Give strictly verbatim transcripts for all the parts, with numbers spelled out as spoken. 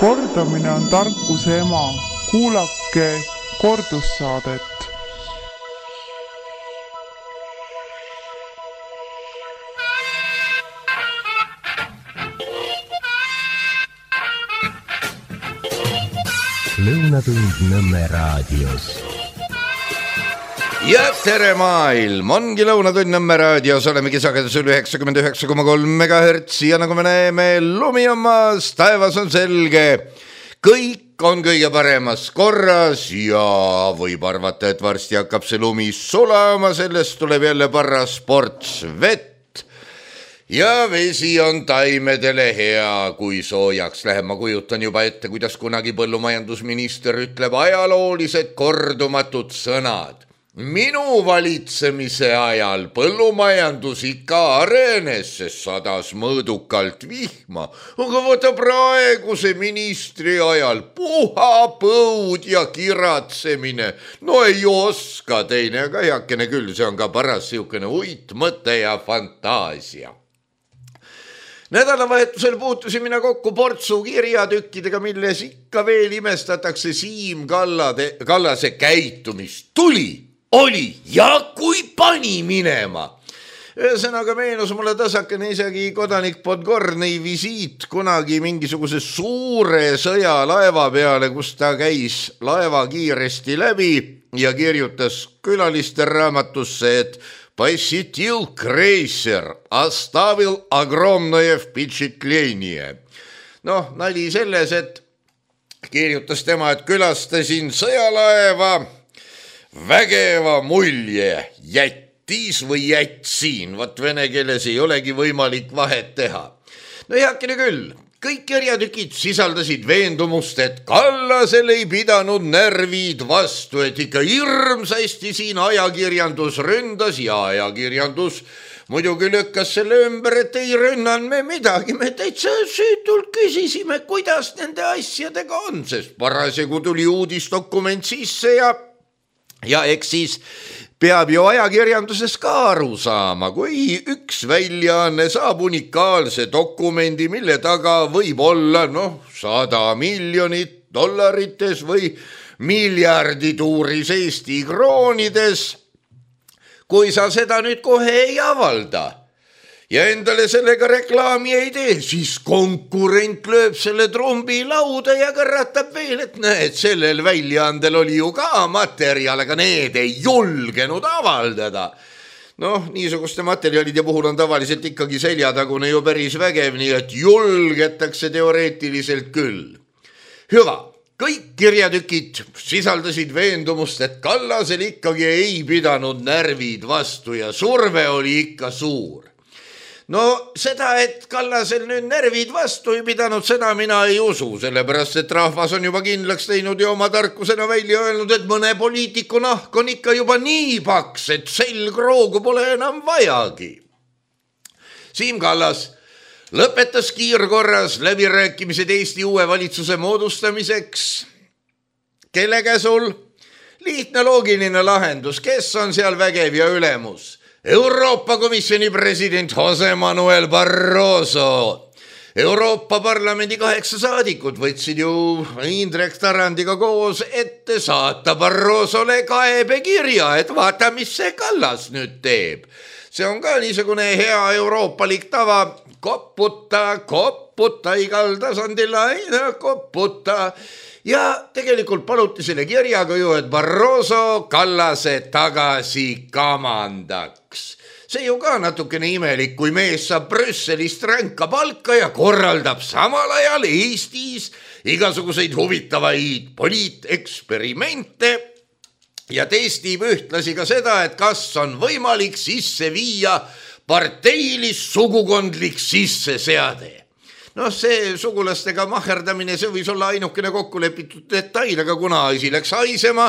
Kordamine on tarkuse ema. Kuulake kordussaadet. Lõunatund Nõmme raadios. Ja tere maailm, ongi Lõunatund Nõmme raadios, olemegi sagedusel üheksakümmend üheksa koma kolm megahertsi ja nagu me näeme, lumi on maas, taevas on selge, kõik on kõige paremas korras ja võib arvata, et varsti hakkab see lumi sulama, sellest tuleb jälle paras ports vett. Ja vesi on taimedele hea, kui soojaks läheb. Ma kujutan juba ette, kuidas kunagi põllumajandusminister ütleb ajaloolised kordumatud sõnad. Minu valitsemise ajal põllumajandus ikka arenes, sest sadas mõõdukalt vihma, aga võta praeguse ministri ajal puha põud ja kiratsemine. No ei oska teine, aga heakene küll, see on ka paras siukene uit mõte ja fantaasia. Nädalavahetusel puutusin mina kokku portsu kirjatükkidega, milles ikka veel imestatakse Siim Kallade, Kallase käitumist. Tuli, oli ja kui pani minema. Ühesõnaga meenus mulle tasakene isegi kodanik Podgornõi visiit kunagi mingisuguse suure sõjalaeva peale, kus ta käis laeva kiiresti läbi ja kirjutas külaliste raamatusse, et посетил крейсер, оставил огромное впечатление. Noh, nali selles, et kirjutas tema, et külastasin sõjalaeva, vägeva mulje jättis või jätsin. Vat vene keeles ei olegi võimalik vahet teha. No heakene küll. Kõik kirjatükid sisaldasid veendumust, et Kallasel ei pidanud närvid vastu, et ikka hirmsasti siin ajakirjandus ründas ja ajakirjandus muidugi lükkas selle ümber, et ei rünnan me midagi. Me täitsa süütult küsisime, kuidas nende asjadega on, sest parasjagu tuli uudisdokument sisse ja, ja eks siis peab ju ajakirjanduses ka aru saama, kui üks väljaanne saab unikaalse dokumendi, mille taga võib olla noh, sada miljonit dollarites või miljardituuris Eesti kroonides, kui sa seda nüüd kohe ei avalda ja endale sellega reklaami ei tee, siis konkurent lööb selle trumbi lauda ja kõratab veel, et näed, sellel väljaandel oli ju ka materjal, aga need ei julgenud avaldada. Noh, niisuguste materjalide puhul on tavaliselt ikkagi seljatagune ju päris vägev, nii et julgetakse teoreetiliselt küll. Hüva, kõik kirjatükid sisaldasid veendumust, et Kallasel ikkagi ei pidanud närvid vastu ja surve oli ikka suur. No seda, et Kallasel nüüd närvid vastu ei pidanud, seda mina ei usu, sellepärast, et rahvas on juba kindlaks teinud ja oma tarkusena välja öelnud, et mõne poliitiku nahk on ikka juba nii paks, et selgroogu pole enam vajagi. Siim Kallas lõpetas kiirkorras läbirääkimised Eesti uue valitsuse moodustamiseks. Kelle käsul? Lihtne loogiline lahendus, kes on seal vägev ja ülemus? Euroopa Komisjoni president Jose Manuel Barroso. Euroopa Parlamendi kaheksa saadikut võtsid ju Indrek Tarandiga koos ette saata Barrosole kaebekirja, et vaata, mis see Kallas nüüd teeb. See on ka niisugune hea euroopalik tava, kopputa, kopputa igal tasandil, aina kopputa. Ja tegelikult paluti selle kirjaga ju, et Barroso Kallase tagasi kamandaks. See ju ka natukene imelik, kui mees saab Brüsselist ränka palka ja korraldab samal ajal Eestis igasuguseid huvitavaid poliiteksperimente ja testib ühtlasi ka seda, et kas on võimalik sisse viia parteilis sugukondlik sisseseade. Noh, see sugulastega maherdamine, see võis olla ainukene kokkulepitud detail, aga kuna asi läks haisema,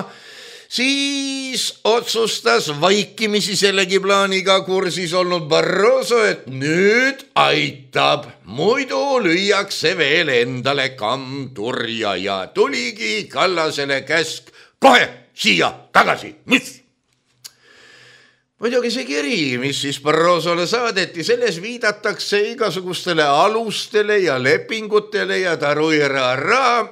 siis otsustas vaikimisi sellegi plaaniga kursis olnud Barroso, et nüüd aitab, muidu lüüakse veel endale kammturja ja tuligi Kallasele käsk kohe siia tagasi, mis? muidugi see kiri, mis siis Barrosole saadeti, selles viidatakse igasugustele alustele ja lepingutele ja taruirara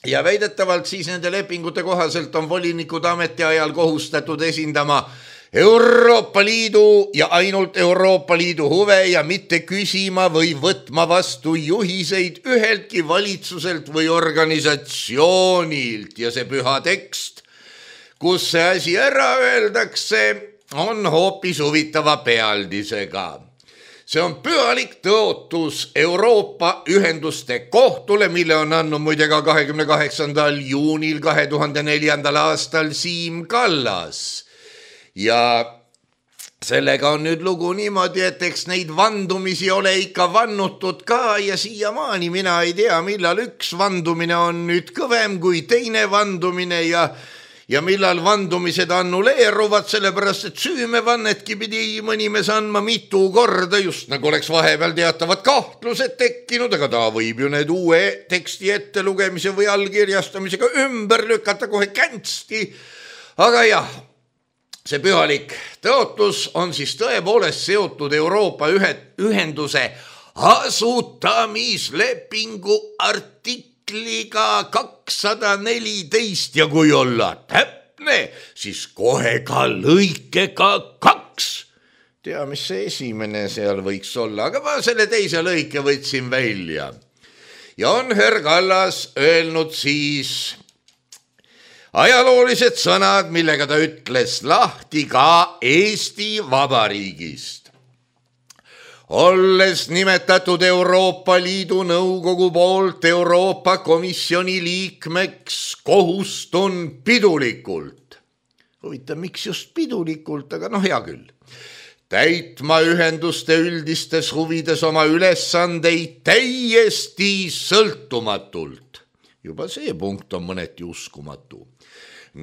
ja väidetavalt siis nende lepingute kohaselt on volinikud ametiajal kohustatud esindama Euroopa Liidu ja ainult Euroopa Liidu huve ja mitte küsima või võtma vastu juhiseid üheltki valitsuselt või organisatsioonilt ja see püha tekst, kus see asi ära öeldakse, on hoopis huvitava pealdisega. See on pühalik tõotus Euroopa ühenduste kohtule, mille on andnud muide ka kahekümne kaheksandal juunil kahe tuhande neljandal aastal Siim Kallas. Ja sellega on nüüd lugu niimoodi, et eks neid vandumisi ole ikka vannutud ka ja siiamaani mina ei tea, millal üks vandumine on nüüd kõvem kui teine vandumine ja ja millal vandumised annuleeruvad, sellepärast et süümevannetki pidi mõni mees andma mitu korda, just nagu oleks vahepeal teatavad kahtlused tekkinud, aga ta võib ju need uue teksti ettelugemise või allkirjastamisega ümber lükata kohe känsti. Aga jah, see pühalik tõotus on siis tõepoolest seotud Euroopa ühenduse asutamislepingu artikliga kakssada neliteist ja kui olla täpne, siis kohe ka lõikega kaks. Tea, mis see esimene seal võiks olla, aga ma selle teise lõike võtsin välja. Ja on Herr Kallas öelnud siis ajaloolised sõnad, millega ta ütles lahti ka Eesti Vabariigist. Olles nimetatud Euroopa Liidu Nõukogu poolt Euroopa Komisjoni liikmeks, kohustun pidulikult. Huvitav, miks just pidulikult, aga noh, hea küll. Täitma ühenduste üldistes huvides oma ülesandeid täiesti sõltumatult. Juba see punkt on mõneti uskumatu.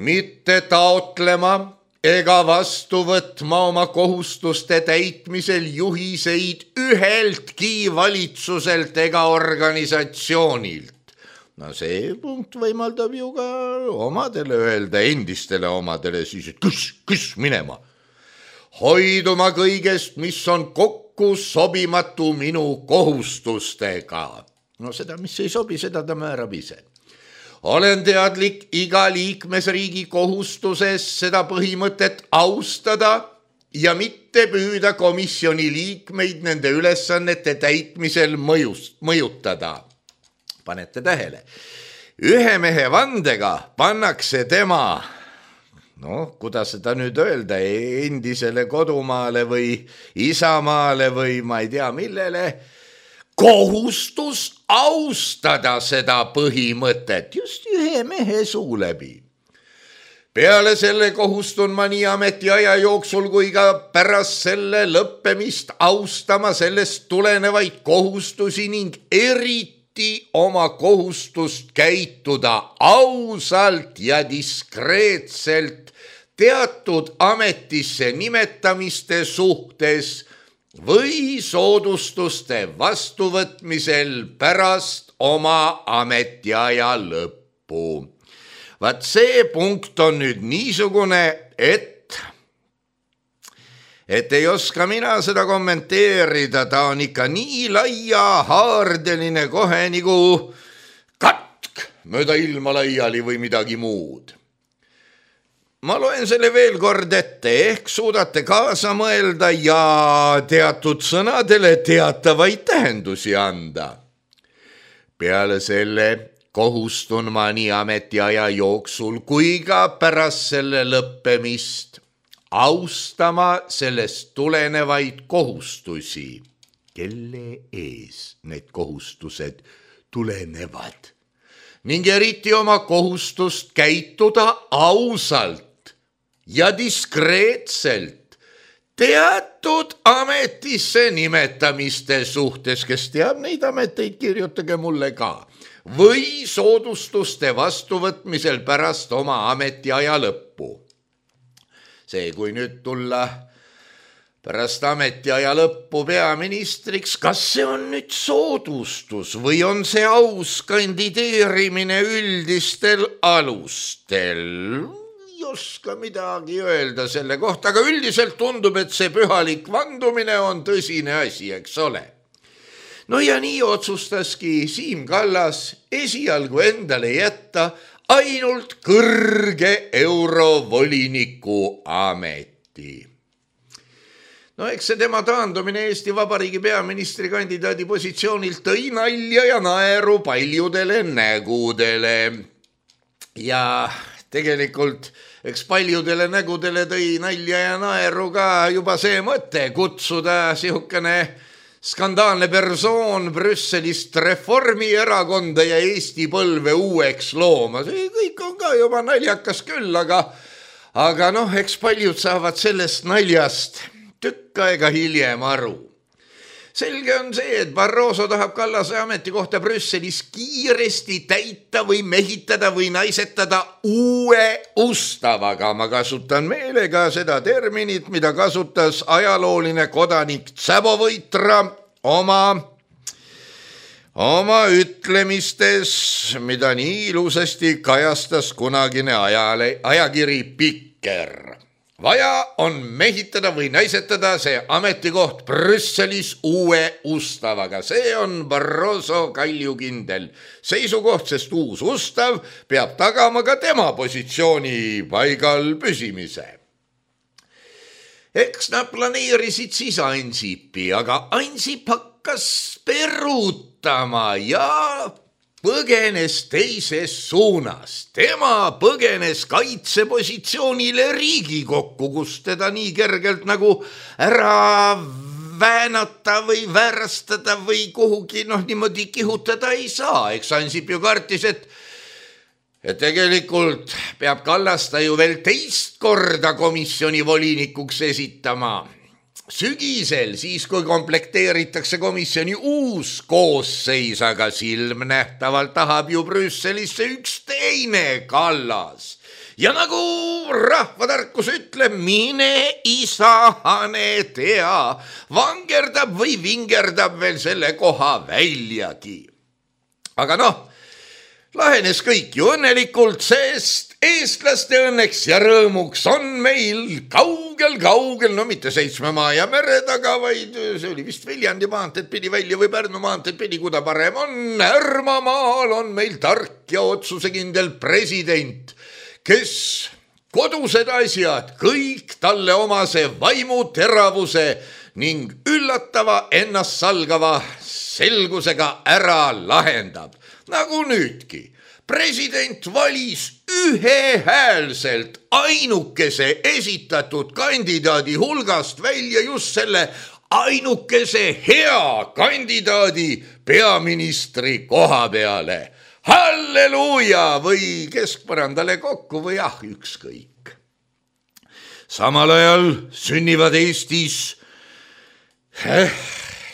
Mitte taotlema ega vastu võtma oma kohustuste täitmisel juhiseid üheltki valitsuselt ega organisatsioonilt. No see punkt võimaldab ju ka omadele öelda, endistele omadele siis, et kus, kus minema. Hoiduma kõigest, mis on kokku sobimatu minu kohustustega. No seda, mis ei sobi, seda ta määrab ise. Olen teadlik iga liikmesriigi kohustuses seda põhimõtet austada ja mitte püüda komisjoni liikmeid nende ülesannete täitmisel mõjust, mõjutada. Panete tähele. Ühe mehe vandega pannakse tema, noh, kuidas seda nüüd öelda, endisele kodumaale või isamaale või ma ei tea millele, kohustus austada seda põhimõtet just ühe mehe suu läbi. Peale selle kohustun ma nii ametiaja jooksul kui ka pärast selle lõppemist austama sellest tulenevaid kohustusi ning eriti oma kohustust käituda ausalt ja diskreetselt teatud ametisse nimetamiste suhtes või soodustuste vastuvõtmisel pärast oma ametiaja lõppu. Vaat see punkt on nüüd niisugune, et, et ei oska mina seda kommenteerida, ta on ikka nii laia haardeline kohe nagu katk mööda ilma laiali või midagi muud. Ma loen selle veel kord ette, ehk suudate kaasa mõelda ja teatud sõnadele teatavaid tähendusi anda. Peale selle kohustun ma nii ametiaja jooksul kui ka pärast selle lõppemist austama sellest tulenevaid kohustusi, kelle ees need kohustused tulenevad, ning eriti oma kohustust käituda ausalt ja diskreetselt teatud ametisse nimetamiste suhtes, kes teab neid ameteid, kirjutage mulle ka, või soodustuste vastuvõtmisel pärast oma ametiaja lõppu. See, kui nüüd tulla pärast ametiaja lõppu peaministriks, kas see on nüüd soodustus või on see aus kandideerimine üldistel alustel? oska midagi öelda selle kohta, aga üldiselt tundub, et see pühalik vandumine on tõsine asi, eks ole. No ja nii otsustaski Siim Kallas esialgu endale jätta ainult kõrge eurovoliniku ameti. No eks see tema taandumine Eesti Vabariigi peaministri kandidaadi positsioonilt tõi nalja ja naeru paljudele nägudele. Ja tegelikult eks paljudele nägudele tõi nalja ja naeru ka juba see mõte kutsuda sihukene skandaalne persoon Brüsselist Reformierakonda ja Eesti põlve uueks looma. See kõik on ka juba naljakas küll, aga, aga noh, eks paljud saavad sellest naljast tükk aega hiljem aru. Selge on see, et Barroso tahab Kallase ametikohta Brüsselis kiiresti täita või mehitada või naisetada uue ustavaga. Ma kasutan meelega seda terminit, mida kasutas ajalooline kodanik Tsabovõitra oma, oma ütlemistes, mida nii ilusasti kajastas kunagine ajale, ajakiri Pikker. Vaja on mehitada või naisetada see ametikoht Brüsselis uue ustavaga. See on Barroso kaljukindel seisukoht, sest uus ustav peab tagama ka tema positsiooni paigal püsimise. Eks nad planeerisid siis Ansipi, aga Ansip hakkas perutama ja põgenes teises suunas. Tema põgenes kaitsepositsioonile Riigikokku, kus teda nii kergelt nagu ära väänata või väärastada või kuhugi noh niimoodi kihutada ei saa. Eks Ansip ju kartis, et, et tegelikult peab Kallasta ju veel teist korda komisjoni volinikuks esitama. Sügisel, siis kui komplekteeritakse komisjoni uus koosseis, aga silmnähtavalt tahab ju Brüsselisse üks teine Kallas. Ja nagu rahvatarkus ütleb, mine isahane tea, vangerdab või vingerdab veel selle koha väljagi. Aga noh, lahenes kõik ju õnnelikult, sest eestlaste õnneks ja rõõmuks on meil kaugel-kaugel, no mitte seitsme maa ja mere taga, vaid see oli vist Viljandi maanteed pidi välja või Pärnu maanteed pidi, kuda parem on. Härmamaal on meil tark ja otsusekindel president, kes kodused asjad kõik talle omase vaimu teravuse ning üllatava ennast salgava selgusega ära lahendab. Nagu nüüdki, president valis ühehäälselt ainukese esitatud kandidaadi hulgast välja just selle ainukese hea kandidaadi peaministri koha peale. Halleluuja või keskpõrandale kokku või ah, ükskõik. Samal ajal sünnivad Eestis eh,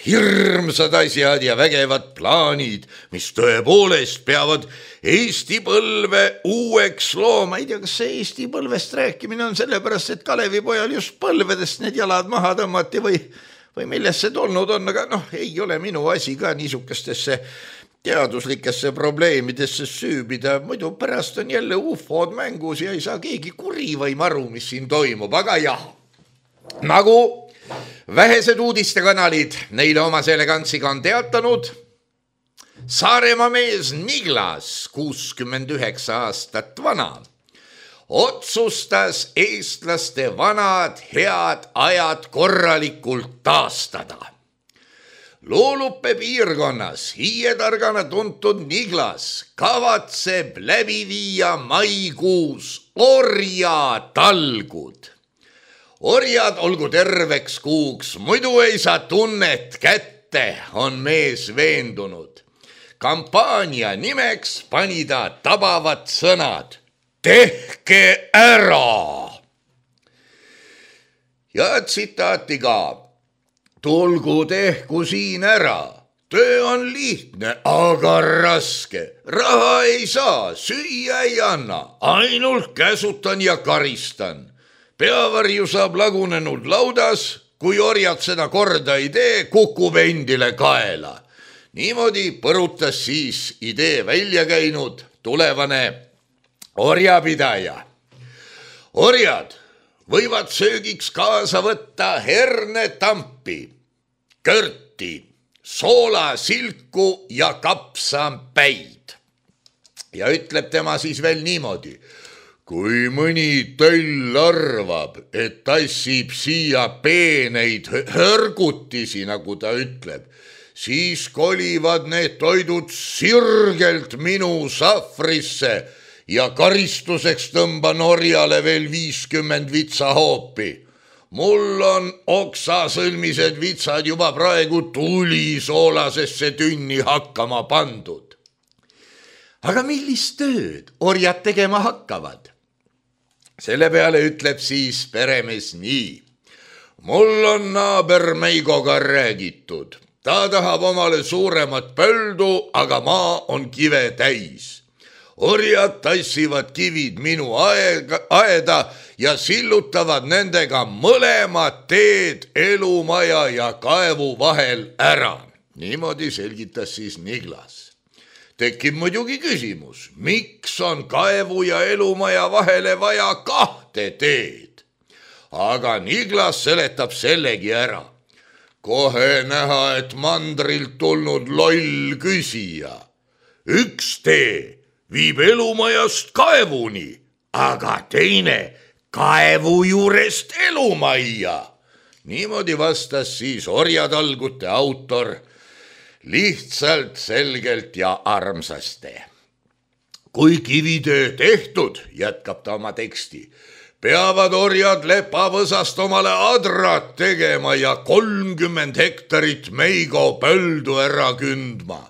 hirmsad asjad ja vägevad plaanid, mis tõepoolest peavad Eesti põlve uueks looma. Ei tea, kas see Eesti põlvest rääkimine on sellepärast, et Kalevipojal just põlvedest need jalad maha tõmmati või, või millest see tulnud on, aga noh, ei ole minu asi ka niisugustesse teaduslikesse probleemidesse süübida. Muidu pärast on jälle ufod mängus ja ei saa keegi kuri või maru, mis siin toimub, aga jah, nagu vähesed uudistekanalid neile omase elegantsiga on teatanud, Saaremaa mees Niglas, kuuskümmend üheksa aastat vana, otsustas eestlaste vanad head ajad korralikult taastada. Loolupe piirkonnas hiietargana tuntud Niglas kavatseb läbi viia maikuus orjatalgud. Orjad olgu terveks kuuks, muidu ei saa tunnet kätte, on mees veendunud. Kampaania nimeks pani ta tabavad sõnad. Tehke ära! Ja tsitaati ka. Tulgu tehku siin ära. Töö on lihtne, aga raske. Raha ei saa, süüa ei anna. Ainult käsutan ja karistan. Peavarju saab lagunenud laudas, kui orjad seda korda ei tee, kukub endile kaela. Niimoodi põrutas siis idee välja käinud tulevane orjapidaja. orjad võivad söögiks kaasa võtta hernetampi, körti, soolasilku ja kapsapäid. Ja ütleb tema siis veel niimoodi. Kui mõni töll arvab, et tassib siia peeneid hörgutisi, nagu ta ütleb, siis kolivad need toidud sirgelt minu sahvrisse ja karistuseks tõmban orjale veel viiskümmend vitsahoopi. Mul on oksasõlmised vitsad juba praegu tulisoolasesse tünni hakkama pandud. Aga millist tööd orjad tegema hakkavad? Selle peale ütleb siis peremees nii. Mul on naaber Meigoga räägitud. Ta tahab omale suuremat pöldu, aga maa on kive täis. Orjad tassivad kivid minu aega, aeda ja sillutavad nendega mõlemad teed elumaja ja kaevu vahel ära. Niimoodi selgitas siis Niglas. Tekib muidugi küsimus, miks on kaevu ja elumaja vahele vaja kahte teed? Aga Niglas seletab sellegi ära. Kohe näha, et mandrilt tulnud loll küsija. Üks tee viib elumajast kaevuni, aga teine kaevu juurest elumajja. Niimoodi vastas siis orjatalgute autor lihtsalt, selgelt ja armsasti. Kui kivitöö tehtud, jätkab ta oma teksti, peavad orjad lepavõsast omale adrat tegema ja kolmkümmend hektarit Meigo pöldu ära kündma.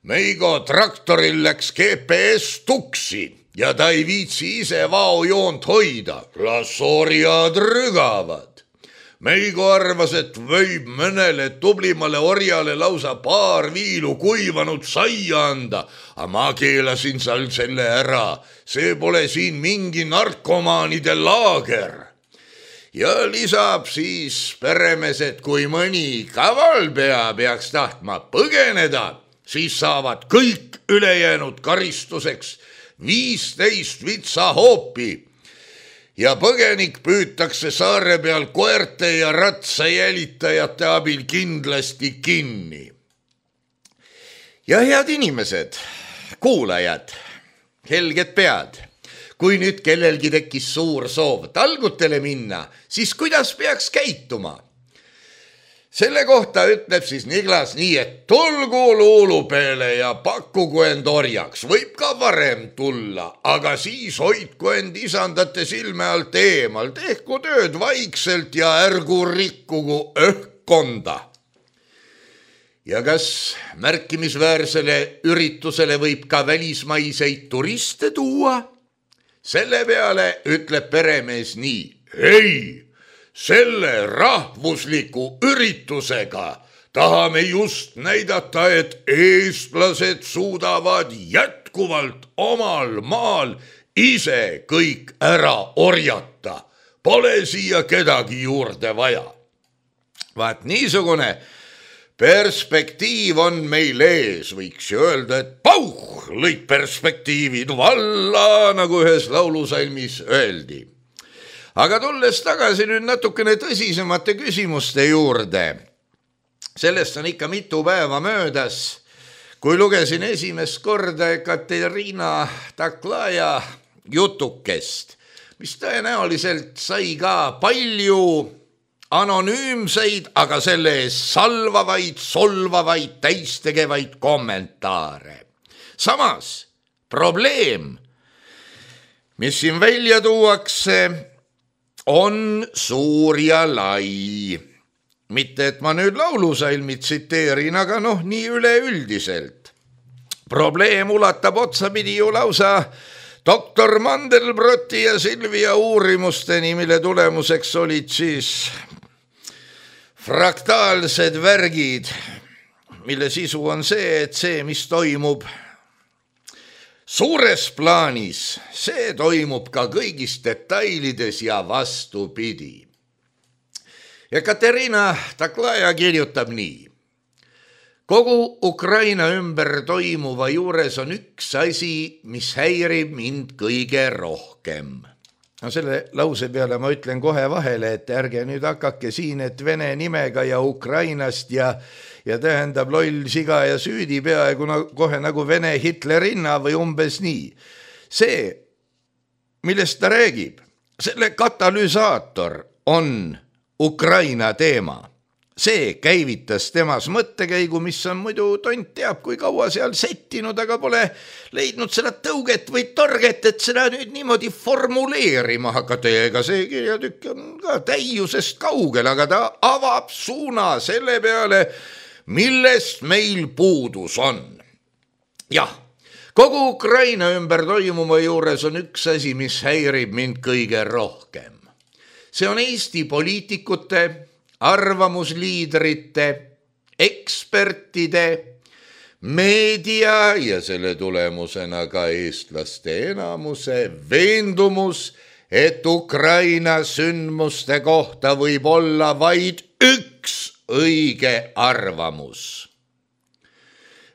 Meigo traktoril läks G P S tuksi ja ta ei viitsi ise vaojoont hoida. Las orjad rügavad. Meigo arvas, et võib mõnele tublimale orjale lausa paar viilu kuivanud saia anda, aga ma keelasin seal selle ära. See pole siin mingi narkomaanide laager. Ja lisab siis peremees, et kui mõni kavalpea peaks tahtma põgeneda, siis saavad kõik ülejäänud karistuseks viisteist vitsahoopi. Ja põgenik püütakse saare peal koerte ja ratsa jälitajate abil kindlasti kinni. Ja head inimesed, kuulajad, helged pead, kui nüüd kellelgi tekkis suur soov talgutele minna, siis kuidas peaks käituma? Selle kohta ütleb siis Niglas nii, et tulgu luulupeele ja pakkugu end orjaks. Võib ka varem tulla, aga siis hoidku end isandate silme alt eemal. Tehku tööd vaikselt ja ärgu rikkugu õhkkonda. Ja kas märkimisväärsele üritusele võib ka välismaiseid turiste tuua? Selle peale ütleb peremees nii. Ei! Selle rahvusliku üritusega tahame just näidata, et eestlased suudavad jätkuvalt omal maal ise kõik ära orjata. Pole siia kedagi juurde vaja. Vaat niisugune perspektiiv on meil ees, võiks ju öelda, et pauh, lõid perspektiivid valla, nagu ühes laulusalmis öeldi. Aga tulles tagasi nüüd natukene tõsisemate küsimuste juurde. Sellest on ikka mitu päeva möödas, kui lugesin esimest korda Katerina Taklaja jutukest, mis tõenäoliselt sai ka palju anonüümseid, aga selle ees salvavaid, solvavaid, täistegevaid kommentaare. Samas probleem, mis siin välja tuuakse, on suur ja lai. Mitte, et ma nüüd laulusalmi tsiteerin, aga noh, nii üleüldiselt. Probleem ulatab otsapidi ju lausa doktor Mandelbroti ja Silvia uurimusteni, mille tulemuseks olid siis fraktaalsed värgid, mille sisu on see, et see, mis toimub suures plaanis, see toimub ka kõigis detailides ja vastupidi. Ja Katerina Taklaja kirjutab nii. Kogu Ukraina ümber toimuva juures on üks asi, mis häirib mind kõige rohkem. No selle lause peale ma ütlen kohe vahele, et ärge nüüd hakake siin, et Vene nimega ja Ukrainast ja, ja tähendab loll siga ja süüdi peaaegu nagu, kohe nagu Vene Hitlerinna või umbes nii. See, millest ta räägib, selle katalüsaator on Ukraina teema. See käivitas temas mõttekäigu, mis on muidu tont teab, kui kaua seal settinud, aga pole leidnud seda tõuget või target, et seda nüüd niimoodi formuleerima hakata. Ega see kirjatükk on ka täiusest kaugel, aga ta avab suuna selle peale, millest meil puudus on. Jah, kogu Ukraina ümber toimuma juures on üks asi, mis häirib mind kõige rohkem. See on Eesti poliitikute, arvamusliidrite, ekspertide, meedia ja selle tulemusena ka eestlaste enamuse veendumus, et Ukraina sündmuste kohta võib olla vaid üks õige arvamus.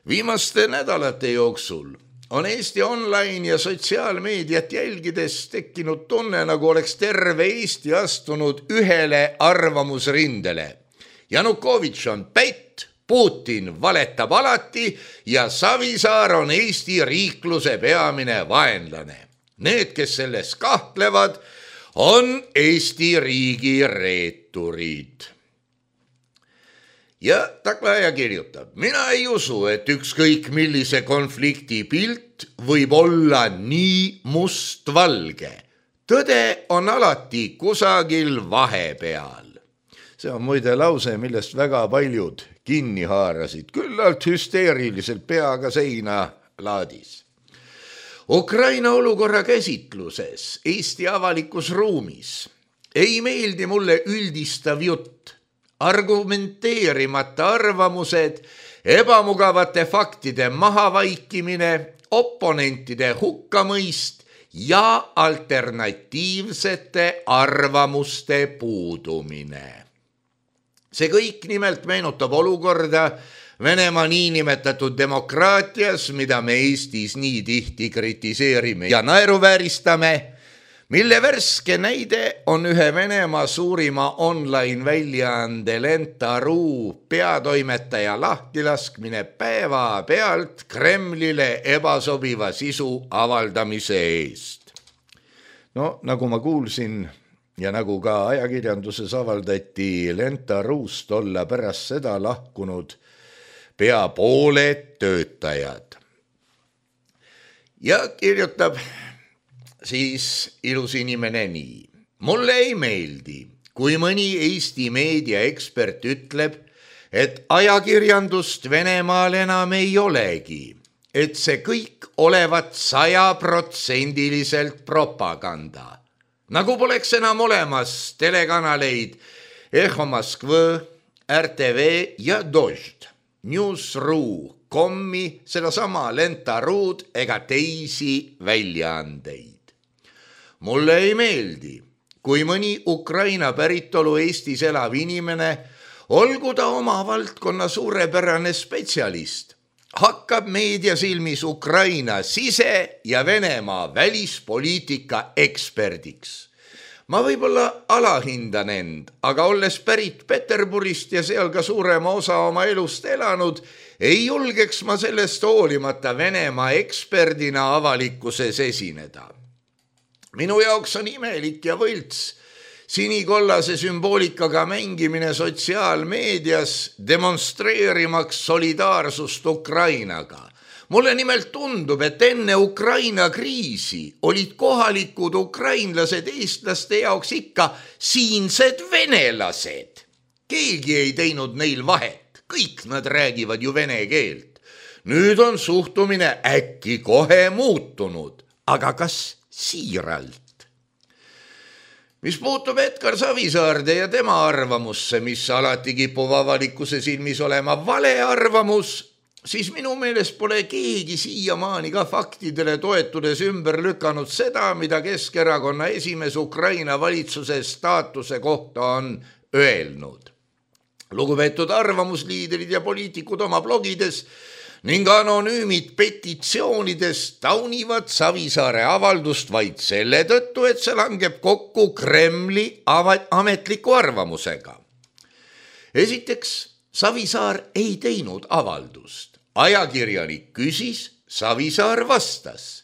Viimaste nädalate jooksul on Eesti online ja sotsiaalmeediat jälgides tekkinud tunne, nagu oleks terve Eesti astunud ühele arvamusrindele. Janukovitš on pätt, Putin valetab alati ja Savisaar on Eesti riikluse peamine vaenlane. Need, kes selles kahtlevad, on Eesti riigi reeturid. Ja Taklaja kirjutab, mina ei usu, et ükskõik millise konflikti pilt võib olla nii mustvalge. Tõde on alati kusagil vahepeal. See on muide lause, millest väga paljud kinni haarasid, küllalt hüsteeriliselt peaga seina laadis. Ukraina olukorra käsitluses Eesti avalikus ruumis ei meeldi mulle üldistav jutt, argumenteerimata arvamused, ebamugavate faktide mahavaikimine, oponentide hukkamõist ja alternatiivsete arvamuste puudumine. See kõik nimelt meenutab olukorda Venemaa niinimetatud demokraatias, mida me Eestis nii tihti kritiseerime ja naeruvääristame, mille värske näide on ühe Venemaa suurima online väljaande Lenta.ru peatoimetaja lahtilaskmine päeva pealt Kremlile ebasobiva sisu avaldamise eest. No nagu ma kuulsin ja nagu ka ajakirjanduses avaldati, Lenta.rust olla pärast seda lahkunud pea pooled töötajad. Ja kirjutab siis ilus inimene nii. Mulle ei meeldi, kui mõni Eesti meediaekspert ütleb, et ajakirjandust Venemaal enam ei olegi, et see kõik olevat sajaprotsendiliselt propaganda. Nagu poleks enam olemas telekanaleid Eho Moskva, R T V ja Dožd, News.ru, Kommi, sedasama Lenta.rud ega teisi väljaandeid. Mulle ei meeldi, kui mõni Ukraina päritolu Eestis elav inimene, olgu ta oma valdkonna suurepärane spetsialist, hakkab meediasilmis Ukraina sise- ja Venemaa välispoliitika eksperdiks. Ma võib-olla alahindan end, aga olles pärit Peterburist ja seal ka suurema osa oma elust elanud, ei julgeks ma sellest hoolimata Venemaa eksperdina avalikkuses esineda. Minu jaoks on imelik ja võlts sinikollase sümboolikaga mängimine sotsiaalmeedias, demonstreerimaks solidaarsust Ukrainaga. Mulle nimelt tundub, et enne Ukraina kriisi olid kohalikud ukrainlased eestlaste jaoks ikka siinsed venelased. Keegi ei teinud neil vahet, kõik nad räägivad ju vene keelt. Nüüd on suhtumine äkki kohe muutunud, aga kas siiralt? Mis puutub Edgar Savisaarde ja tema arvamusse, mis alati kipub avalikkuse silmis olema vale arvamus, siis minu meelest pole keegi siiamaani ka faktidele toetudes ümber lükanud seda, mida Keskerakonna esimees Ukraina valitsuse staatuse kohta on öelnud. Lugupeetud arvamusliidrid ja poliitikud oma blogides ning anonüümid petitsioonides taunivad Savisaare avaldust vaid selle tõttu, et see langeb kokku Kremli ametliku arvamusega. Esiteks, Savisaar ei teinud avaldust. Ajakirjanik küsis, Savisaar vastas.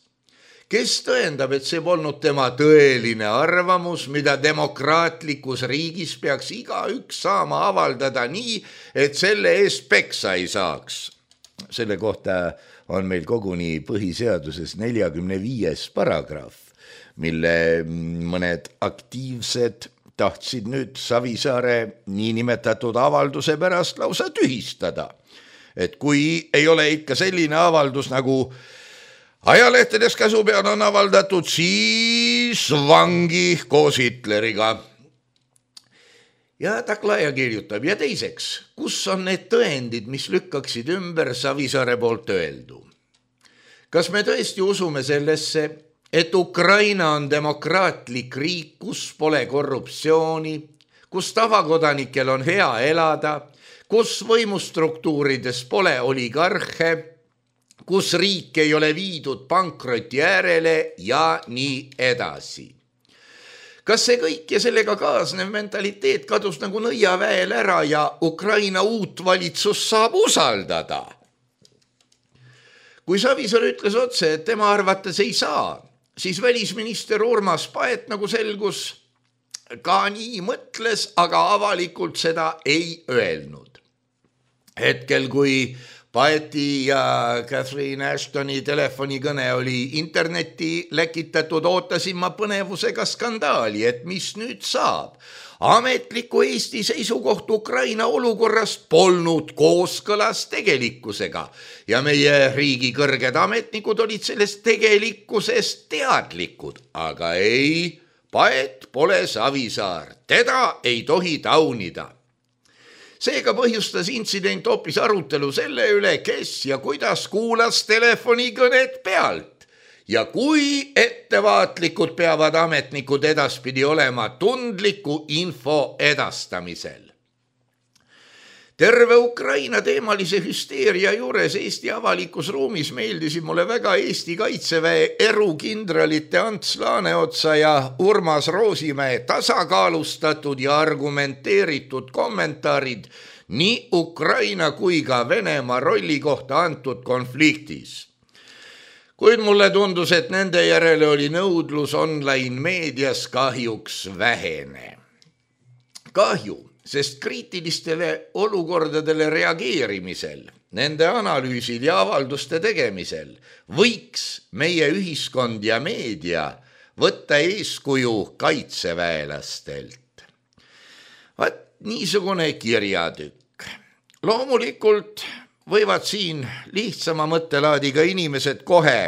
Kes tõendab, et see polnud tema tõeline arvamus, mida demokraatlikus riigis peaks igaüks saama avaldada nii, et selle eest peksa ei saaks? Selle kohta on meil koguni põhiseaduses neljakümne viies paragrahv, mille mõned aktiivsed tahtsid nüüd Savisaare niinimetatud avalduse pärast lausa tühistada. Et kui ei ole ikka selline avaldus, nagu ajalehtedes käsu peal on avaldatud, siis vangi koos Hitleriga. Ja Taklaja kirjutab, ja teiseks, kus on need tõendid, mis lükkaksid ümber Savisaare poolt öeldu? Kas me tõesti usume sellesse, et Ukraina on demokraatlik riik, kus pole korruptsiooni, kus tavakodanikel on hea elada, kus võimustruktuurides pole oligarhe, kus riik ei ole viidud pankroti äärele ja nii edasi? Kas see kõik ja sellega kaasnev mentaliteet kadus nagu nõiaväel ära ja Ukraina uut valitsus saab usaldada? Kui Savisaar ütles otse, et tema arvates ei saa, siis välisminister Urmas Paet nagu selgus, ka nii mõtles, aga avalikult seda ei öelnud. Hetkel, kui Paeti ja Catherine Ashtoni telefonikõne oli internetti läkitatud, ootasin ma põnevusega skandaali, et mis nüüd saab. Ametliku Eesti seisukoht Ukraina olukorrast polnud kooskõlas tegelikkusega ja meie riigi kõrged ametnikud olid sellest tegelikkusest teadlikud, aga ei, Paet pole Savisaar, teda ei tohi taunida. Seega põhjustas intsident hoopis arutelu selle üle, kes ja kuidas kuulas telefonikõnet pealt ja kui ettevaatlikud peavad ametnikud edaspidi olema tundliku info edastamisel. Terve Ukraina teemalise hüsteeria juures Eesti avalikus ruumis meeldisid mulle väga Eesti kaitseväe erukindralite Ants Laaneotsa ja Urmas Roosimäe tasakaalustatud ja argumenteeritud kommentaarid nii Ukraina kui ka Venemaa rolli kohta antud konfliktis. Kuid mulle tundus, et nende järele oli nõudlus online meedias kahjuks vähene. Kahju, sest kriitilistele olukordadele reageerimisel, nende analüüsil ja avalduste tegemisel võiks meie ühiskond ja meedia võtta eeskuju kaitseväelastelt. Vaat niisugune kirjatükk. Loomulikult võivad siin lihtsama mõttelaadiga inimesed kohe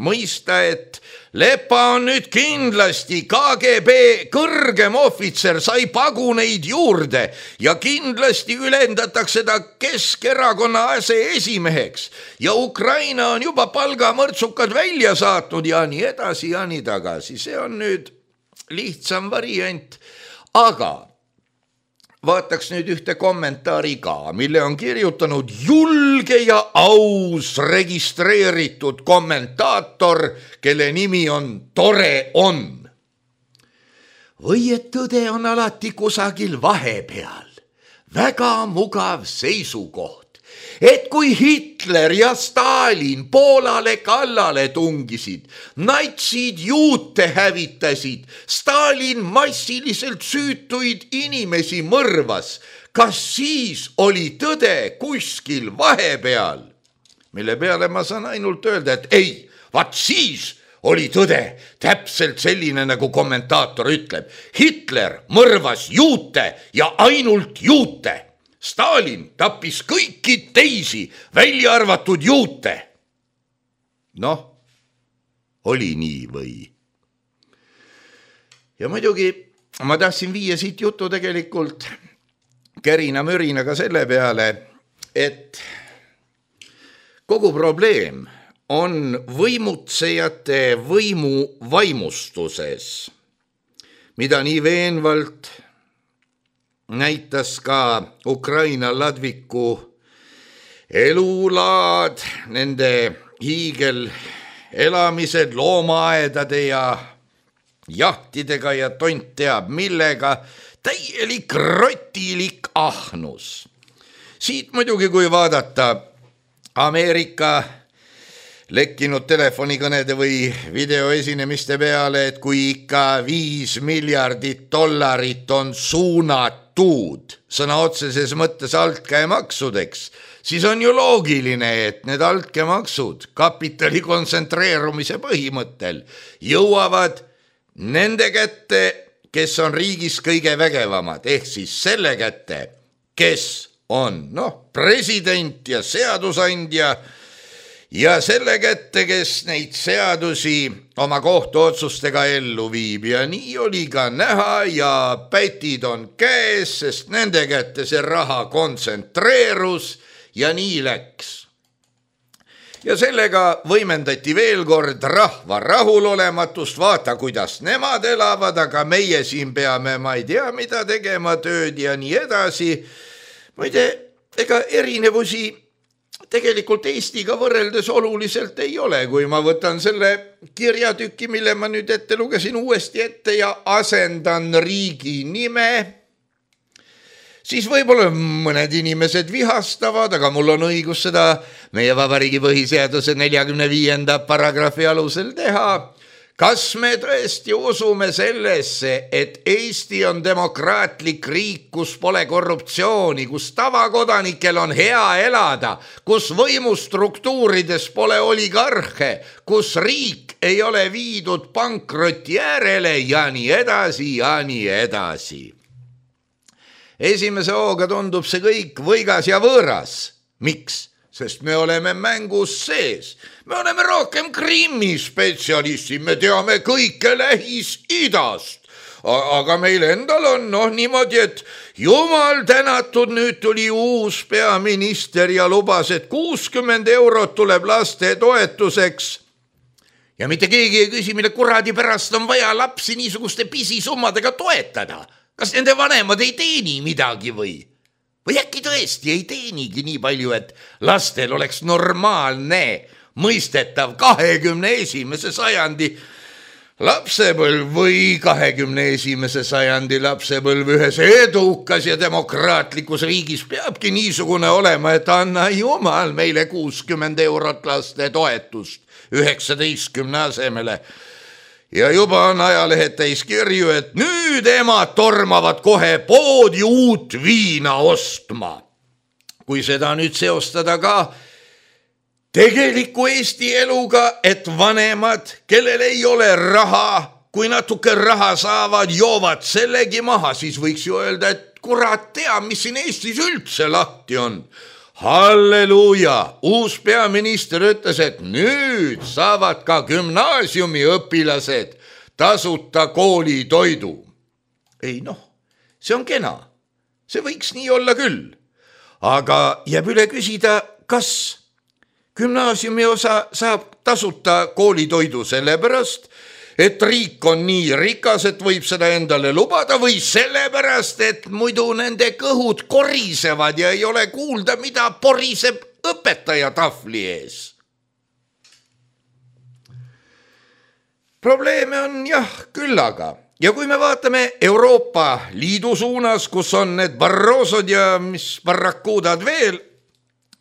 mõista, et Lepa on nüüd kindlasti K G B kõrgem ohvitser, sai paguneid juurde ja kindlasti ülendatakse ta Keskerakonna aseesimeheks ja Ukraina on juba palgamõrtsukad välja saatnud ja nii edasi ja nii tagasi. See on nüüd lihtsam variant, aga vaataks nüüd ühte kommentaari ka, mille on kirjutanud julge ja aus registreeritud kommentaator, kelle nimi on Tore on. Või et tõde on alati kusagil vahepeal. Väga mugav seisukoht. Et kui Hitler ja Stalin Poolale kallale tungisid, natsid juute hävitasid, Stalin massiliselt süütuid inimesi mõrvas, kas siis oli tõde kuskil vahepeal? Mille peale ma saan ainult öelda, et ei, vaat siis oli tõde täpselt selline, nagu kommentaator ütleb. Hitler mõrvas juute ja ainult juute. Stalin tappis kõiki teisi, välja arvatud juute. Noh, oli nii või? Ja muidugi ma tahtsin viia siit jutu tegelikult kärina-mürinaga selle peale, et kogu probleem on võimutsejate võimu vaimustuses, mida nii veenvalt näitas ka Ukraina ladviku elulaad, nende hiigel elamised loomaaedade ja jahtidega ja tont teab millega, täielik rotilik ahnus. Siit muidugi, kui vaadata Ameerika lekkinud telefonikõnede või videoesinemiste peale, et kui ikka viis miljardit dollarit on suunatud sõna otseses mõttes altkäemaksudeks, siis on ju loogiline, et need altkäemaksud kapitali kontsentreerumise põhimõttel jõuavad nende kätte, kes on riigis kõige vägevamad, ehk siis selle kätte, kes on noh, president ja seadusandja ja selle kätte, kes neid seadusi oma kohtuotsustega ellu viib ja nii oli ka näha ja pätid on käes, sest nende kätte see raha kontsentreerus ja nii läks. Ja sellega võimendati veel kord rahva rahulolematust, vaata kuidas nemad elavad, aga meie siin peame, ma ei tea mida tegema, tööd ja nii edasi. Muide, ega erinevusi tegelikult Eestiga võrreldes oluliselt ei ole, kui ma võtan selle kirjatüki, mille ma nüüd ette lugesin uuesti ette ja asendan riigi nime, siis võib-olla mõned inimesed vihastavad, aga mul on õigus seda meie vabariigi põhiseaduse neljakümne viienda paragrahvi alusel teha. Kas me tõesti usume sellesse, et Eesti on demokraatlik riik, kus pole korruptsiooni, kus tavakodanikel on hea elada, kus võimustruktuurides pole oligarhe, kus riik ei ole viidud pankroti äärele ja nii edasi ja nii edasi. Esimese hooga tundub see kõik võigas ja võõras. Miks? Sest me oleme mängus sees. Me oleme rohkem Krimmi spetsialistid, me teame kõike Lähis-Idast. Aga meil endal on noh niimoodi, et jumal tänatud, nüüd tuli uus peaminister ja lubas, et kuuskümmend eurot tuleb laste toetuseks. Ja mitte keegi ei küsi, mille kuradi pärast on vaja lapsi niisuguste pisisummadega toetada. Kas nende vanemad ei teeni midagi või? Või äkki tõesti ei teenigi nii palju, et lastel oleks normaalne, mõistetav kahekümne esimese sajandi lapsepõlv või kahekümne esimese sajandi lapsepõlv ühes edukas ja demokraatlikus riigis peabki niisugune olema, et anna jumal meile kuuskümmend eurot laste toetust üheksateistkümne asemele. Ja juba on ajalehed täis kirju, et nüüd emad tormavad kohe poodi uut viina ostma. Kui seda nüüd seostada ka tegeliku Eesti eluga, et vanemad, kellel ei ole raha, kui natuke raha saavad, joovad sellegi maha, siis võiks ju öelda, et kurat tea, mis siin Eestis üldse lahti on. Halleluuja, uus peaminister ütles, et nüüd saavad ka gümnaasiumi õpilased tasuta koolitoidu. Ei noh, see on kena, see võiks nii olla küll, aga jääb üle küsida, kas gümnaasiumi osa saab tasuta koolitoidu sellepärast, et riik on nii rikas, et võib seda endale lubada või sellepärast, et muidu nende kõhud korisevad ja ei ole kuulda, mida poriseb õpetaja tahvli ees. Probleeme on jah küllaga. Ja kui me vaatame Euroopa Liidu suunas, kus on need Barrosod ja mis barrakuudad veel,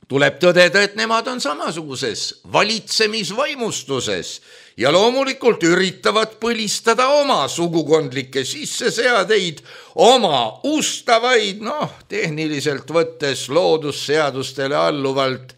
tuleb tõdeda, et nemad on samasuguses valitsemisvaimustuses ja loomulikult üritavad põlistada oma sugukondlikke sisseseadeid, oma ustavaid, noh, tehniliselt võttes loodusseadustele alluvalt,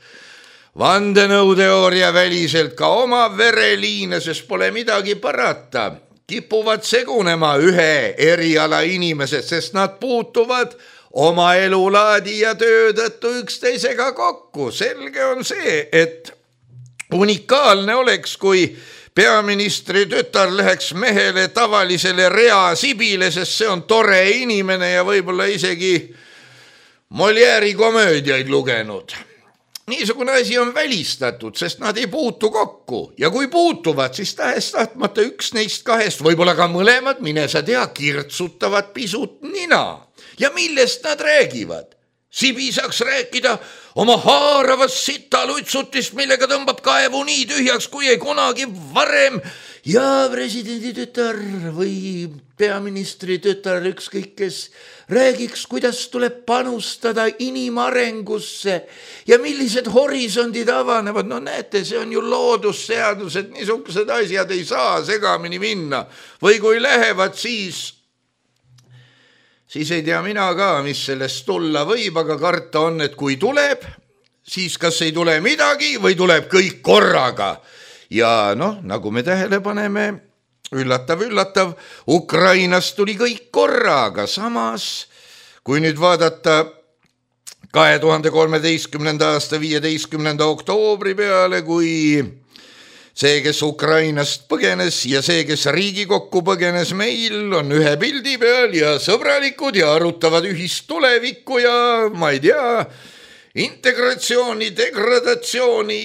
vandenõuteooria väliselt ka oma vereliine, sest pole midagi parata. Kipuvad segunema ühe eriala inimesed, sest nad puutuvad oma elulaadi ja töö tõttu üksteisega kokku. Selge on see, et unikaalne oleks, kui peaministri tütar läheks mehele tavalisele rea sibile, sest see on tore inimene ja võib-olla isegi Molieri komöödiaid lugenud. Niisugune asi on välistatud, sest nad ei puutu kokku ja kui puutuvad, siis tahes tahtmata üks neist kahest, võib-olla ka mõlemad, mine sa tea, kirtsutavad pisut nina. Ja millest nad räägivad? Sibi saaks rääkida oma haaravast sitalutsutist, millega tõmbab kaevu nii tühjaks, kui ei kunagi varem ja presidendi tütar või peaministri tütar, ükskõik kes, räägiks, kuidas tuleb panustada inimarengusse ja millised horisondid avanevad. No näete, see on ju loodusseadus, et niisugused asjad ei saa segamini minna. Või kui lähevad, siis, siis ei tea mina ka, mis sellest tulla võib, aga karta on, et kui tuleb, siis kas ei tule midagi või tuleb kõik korraga. Ja noh, nagu me tähele paneme, üllatav, üllatav, Ukrainast tuli kõik korraga, samas kui nüüd vaadata kahe tuhande kolmeteistkümnenda aasta viieteistkümnenda oktoobri peale, kui see, kes Ukrainast põgenes ja see, kes Riigikokku põgenes meil, on ühe pildi peal ja sõbralikud ja arutavad ühist tulevikku ja ma ei tea, integratsiooni, degradatsiooni,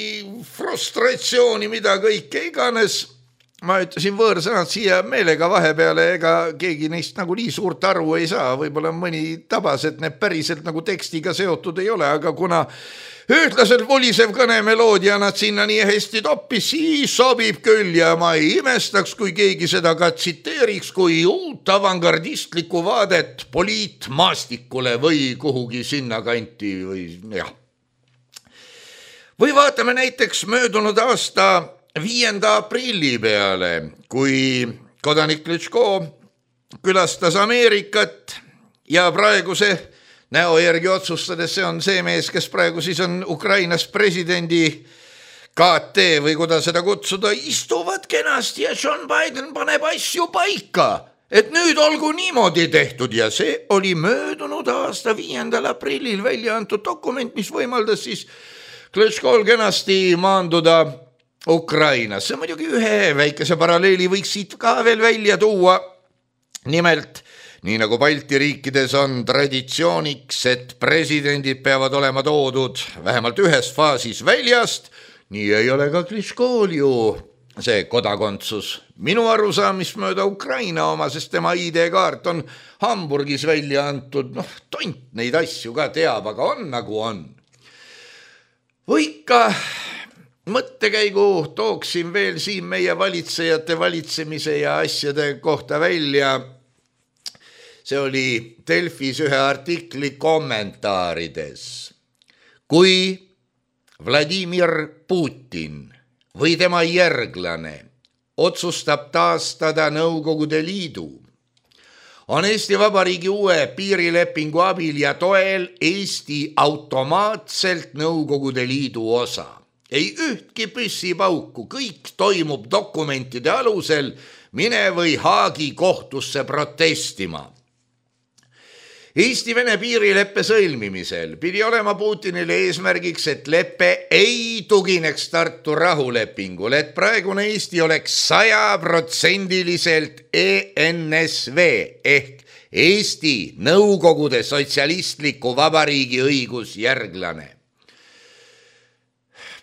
frustratsiooni, mida kõike iganes. Ma ütlesin võõrsõnad siia meelega vahepeale, ega keegi neist nagu nii suurt aru ei saa, võib-olla mõni tabas, et need päriselt nagu tekstiga seotud ei ole, aga kuna ühtlaselt volisev kõnemeloodia nad sinna nii hästi toppis, siis sobib küll ja ma ei imestaks, kui keegi seda ka tsiteeriks kui uut avangardistlikku vaadet poliitmaastikule või kuhugi sinna kanti või jah. Või vaatame näiteks möödunud aasta viienda aprilli peale, kui kodanik Klitschko külastas Ameerikat ja praeguse näo järgi otsustades, see on see mees, kes praegu siis on Ukrainas presidendi K T või kuidas seda kutsuda, istuvad kenasti ja John Biden paneb asju paika, et nüüd olgu niimoodi tehtud ja see oli möödunud aasta viiendal aprillil välja antud dokument, mis võimaldas siis Klitschkol kenasti maanduda Ukrainas. See muidugi ühe väikese paralleeli võiks siit ka veel välja tuua. Nimelt, nii nagu Balti riikides on traditsiooniks, et presidendid peavad olema toodud vähemalt ühes faasis väljast, nii ei ole ka Klitschkol ju see kodakondsus. Minu arusaamist mööda Ukraina oma, sest tema I D-kaart on Hamburgis välja antud. Noh, tont neid asju ka teab, aga on nagu on. Või ikka mõttekäigu tooksin veel siin meie valitsejate valitsemise ja asjade kohta välja. See oli Delfis ühe artikli kommentaarides. Kui Vladimir Putin või tema järglane otsustab taastada Nõukogude Liidu, on Eesti Vabariigi uue piirilepingu abil ja toel Eesti automaatselt Nõukogude Liidu osa. Ei ühtki püssipauku, kõik toimub dokumentide alusel, mine või Haagi kohtusse protestima. Eesti-Vene piirileppe sõlmimisel pidi olema Putinile eesmärgiks, et leppe ei tugineks Tartu rahulepingul, et praegune Eesti oleks sajaprotsendiliselt E N S V ehk Eesti Nõukogude Sotsialistliku Vabariigi õigusjärglane.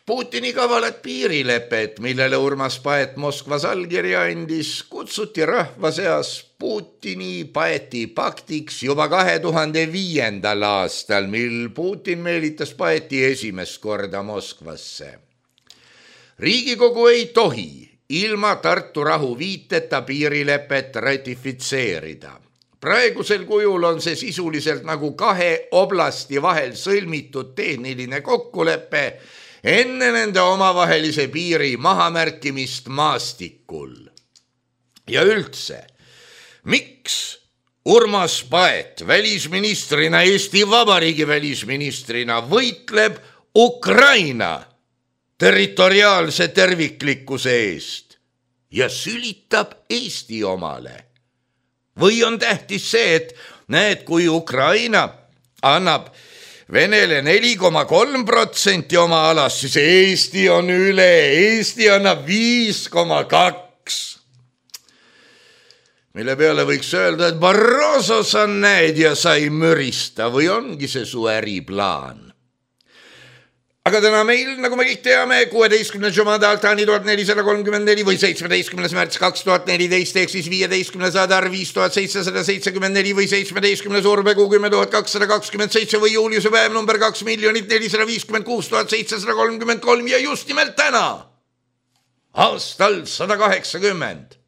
Putini kavalat piirilepet, millele Urmas Paet Moskvas allkirja andis, kutsuti rahva seas Putini Paeti paktiks juba kahe tuhande viiendal aastal, mil Putin meelitas Paeti esimest korda Moskvasse. Riigikogu ei tohi ilma Tartu rahu viiteta piirilepet ratifitseerida. Praegusel kujul on see sisuliselt nagu kahe oblasti vahel sõlmitud tehniline kokkulepe enne nende omavahelise piiri mahamärkimist maastikul. Ja üldse, miks Urmas Paet välisministrina, Eesti Vabariigi välisministrina võitleb Ukraina territoriaalse terviklikkuse eest ja sülitab Eesti omale? Või on tähtis see, et näed, kui Ukraina annab Venele neli koma kolm protsenti oma alast, siis Eesti on üle, Eesti annab viis koma kaks. Mille peale võiks öelda, et Barroso sa näed ja sa ei mürista või ongi see su äriplaan. aga täna meil, nagu me kõik teame, kuueteistkümnes Jumada Altani tuhat nelisada kolmkümmend neli või seitsmeteistkümnes märts kaks tuhat neliteist ehk siis viieteistkümnes Adar viis tuhat seitsesada seitsekümmend neli või seitsmeteistkümnes Urbekuu kümme tuhat kakssada kakskümmend seitse või juuliuse päev number kaks miljonit nelisada viiskümmend kuus tuhat seitsesada kolmkümmend kolm ja just nimelt täna, aastal sada kaheksakümmend,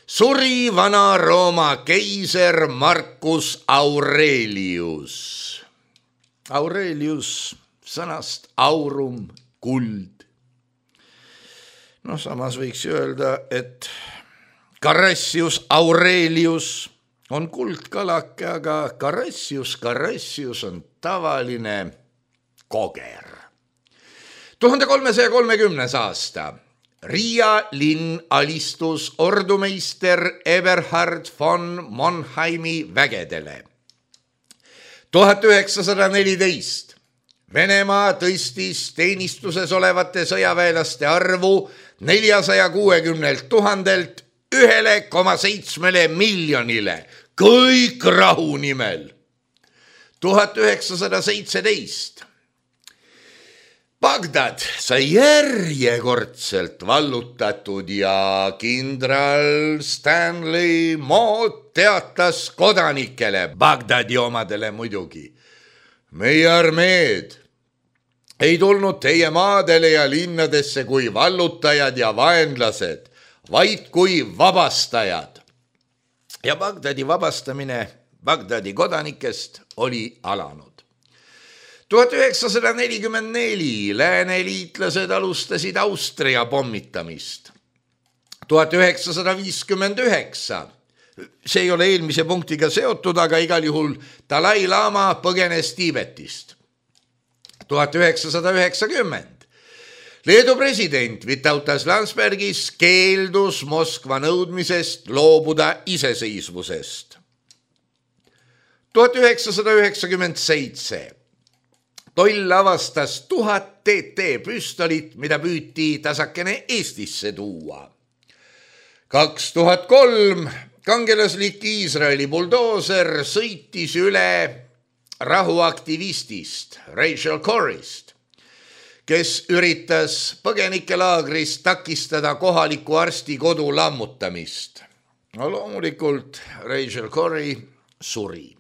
suri vana Rooma keiser Marcus Aurelius. Aurelius sõnast aurum, kuld. No samas võiks öelda, et Caressius Aurelius on kuldkalake, aga Caressius, Caressius on tavaline koger. tuhande kolmesaja kolmekümnes aasta. Riia linn alistus ordumeister Eberhard von Monheimi vägedele. tuhat üheksasada neliteist. Venemaa tõstis teenistuses olevate sõjaväelaste arvu neljasaja kuuekümnelt tuhandelt ühele koma seitsmele miljonile. Kõik rahu nimel. tuhat üheksasada seitseteist. Bagdad sai järjekordselt vallutatud ja kindral Stanley Mood teatas kodanikele, Bagdadi omadele muidugi. Meie armeed ei tulnud teie maadele ja linnadesse kui vallutajad ja vaenlased, vaid kui vabastajad. Ja Bagdadi vabastamine Bagdadi kodanikest oli alanud. tuhat üheksasada nelikümmend neli lääneliitlased alustasid Austria pommitamist. tuhat üheksasada viiskümmend üheksa. See ei ole eelmise punktiga seotud, aga igal juhul Dalai Lama põgenes Tiibetist. tuhat üheksasada üheksakümmend. Leedu president Vytautas Landsbergis keeldus Moskva nõudmisest loobuda iseseisvusest. tuhat üheksasada üheksakümmend seitse. Toll avastas tuhat T T püstolit, mida püüti tasakene Eestisse tuua. kaks tuhat kolm kangelaslik Iisraeli buldooser sõitis üle rahuaktivistist Rachel Corrist, kes üritas põgenikelaagris takistada kohaliku arsti kodu lammutamist. No loomulikult Rachel Corri suri.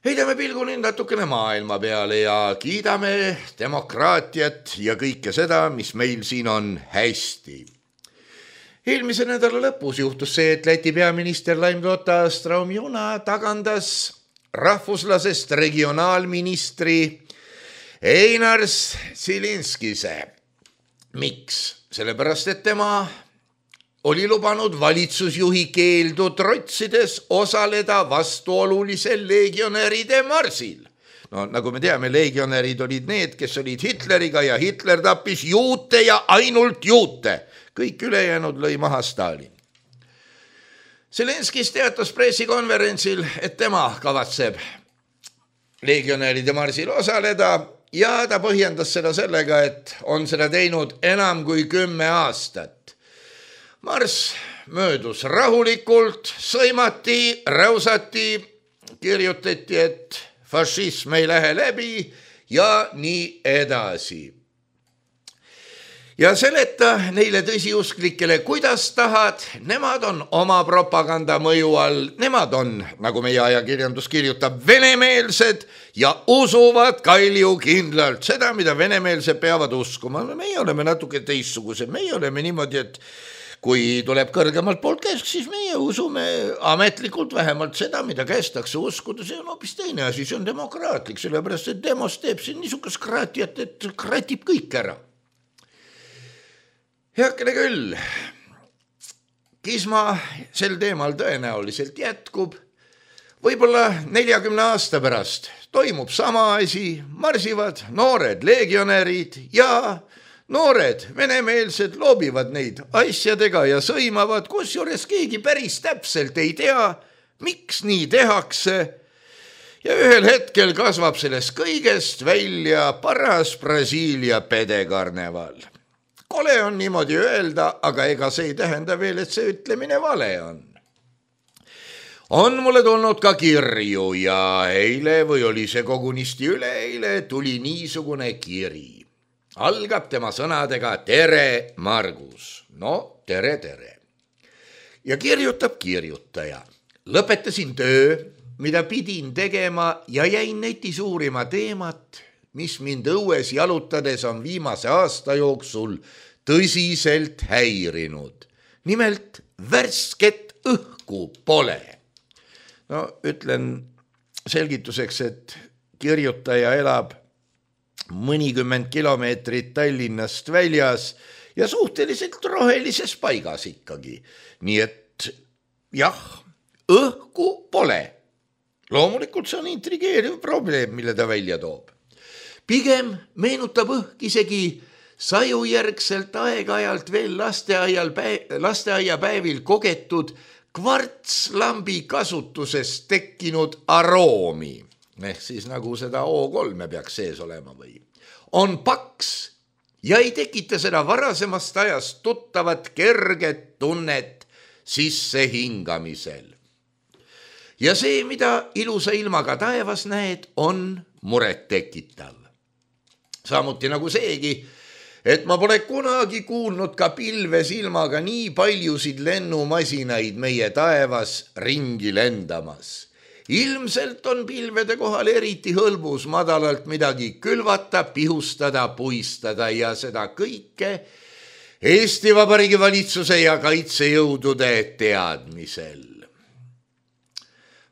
Heidame pilgu nüüd natukene maailma peale ja kiidame demokraatiat ja kõike seda, mis meil siin on hästi. Eelmise nädala lõpus juhtus see, et Läti peaminister Laimdota Straumjuna tagandas rahvuslasest regionaalministri Einars Silinskise. Miks? Sellepärast, et tema oli lubanud valitsusjuhi keeldu trotsides osaleda vastuolulisel legionäride marsil. No nagu me teame, legionärid olid need, kes olid Hitleriga ja Hitler tappis juute ja ainult juute. Kõik ülejäänud lõi maha Stalin. Zelenskis teatas pressikonverentsil, et tema kavatseb legionäride marsil osaleda ja ta põhjendas seda sellega, et on seda teinud enam kui kümme aastat. Marss möödus rahulikult, sõimati, räusati, kirjutati, et fašism ei lähe läbi ja nii edasi. Ja seleta neile tõsiusklikele, kuidas tahad, nemad on oma propaganda mõju all, nemad on, nagu meie ajakirjandus kirjutab, venemeelsed ja usuvad kalju kindlalt seda, mida venemeelsed peavad uskuma. Meie oleme natuke teistsugused, meie oleme niimoodi, et kui tuleb kõrgemalt poolt käsk, siis meie usume ametlikult vähemalt seda, mida kästakse uskuda, see on hoopis teine asi, see on demokraatlik, sellepärast, et demos teeb siin niisugust kraatiat, et kratib kõik ära. Heakene küll, kisma sel teemal tõenäoliselt jätkub, võib-olla neljakümne aasta pärast toimub sama asi, marsivad noored legionärid ja noored venemeelsed loobivad neid asjadega ja sõimavad, kusjuures keegi päris täpselt ei tea, miks nii tehakse. Ja ühel hetkel kasvab sellest kõigest välja paras Brasiilia pedekarneval. Kole on niimoodi öelda, aga ega see ei tähenda veel, et see ütlemine vale on. on mulle tulnud ka kirju ja eile või oli see kogunisti üleeile tuli niisugune kiri. Algab tema sõnadega tere, Margus. No, tere, tere. Ja kirjutab kirjutaja. Lõpetasin töö, mida pidin tegema ja jäin netis uurima teemat, mis mind õues jalutades on viimase aasta jooksul tõsiselt häirinud. Nimelt värsket õhku pole. No, ütlen selgituseks, et kirjutaja elab mõnikümmend kilomeetrit Tallinnast väljas ja suhteliselt rohelises paigas ikkagi. Nii et jah, õhku pole. Loomulikult see on intrigeeriv probleem, mille ta välja toob. Pigem meenutab õhk isegi sajujärgselt aeg-ajalt veel lasteaial päev, lasteaiapäevil kogetud kvartslambi kasutuses tekkinud aroomi. Ehk siis nagu seda O kolme peaks sees olema või. On paks ja ei tekita seda varasemast ajast tuttavat kerget tunnet sisse hingamisel. Ja see, mida ilusa ilmaga taevas näed, on muret tekitav. Samuti nagu seegi, et ma pole kunagi kuulnud ka pilves ilmaga nii paljusid lennumasinaid meie taevas ringi lendamas. Ilmselt on pilvede kohal eriti hõlbus madalalt midagi külvata, pihustada, puistada ja seda kõike Eesti Vabariigi valitsuse ja kaitsejõudude teadmisel.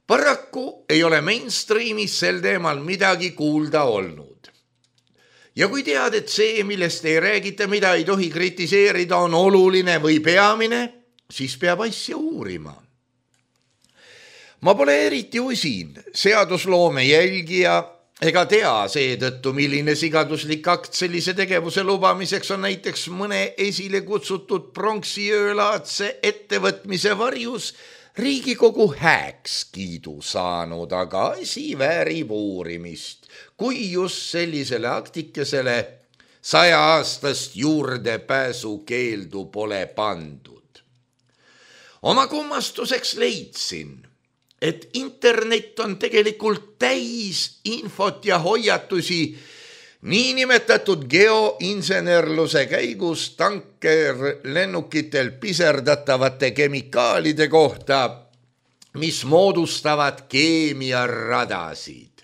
Paraku ei ole mainstreamis sel teemal midagi kuulda olnud. Ja kui tead, et see, millest ei räägita, mida ei tohi kritiseerida, on oluline või peamine, siis peab asja uurima. Ma pole eriti usin seadusloome jälgija ega tea seetõttu, milline sigaduslik akt sellise tegevuse lubamiseks on näiteks mõne esile kutsutud pronksiöölaadse ettevõtmise varjus Riigikogu hääkskiidu saanud, aga asi väärib uurimist, kui just sellisele aktikesele saja aastast juurdepääsu keeldu pole pandud. Oma kummastuseks leidsin, et internet on tegelikult täis infot ja hoiatusi niinimetatud geoinsenerluse käigus tanker lennukitel piserdatavate kemikaalide kohta, mis moodustavad keemiaradasid.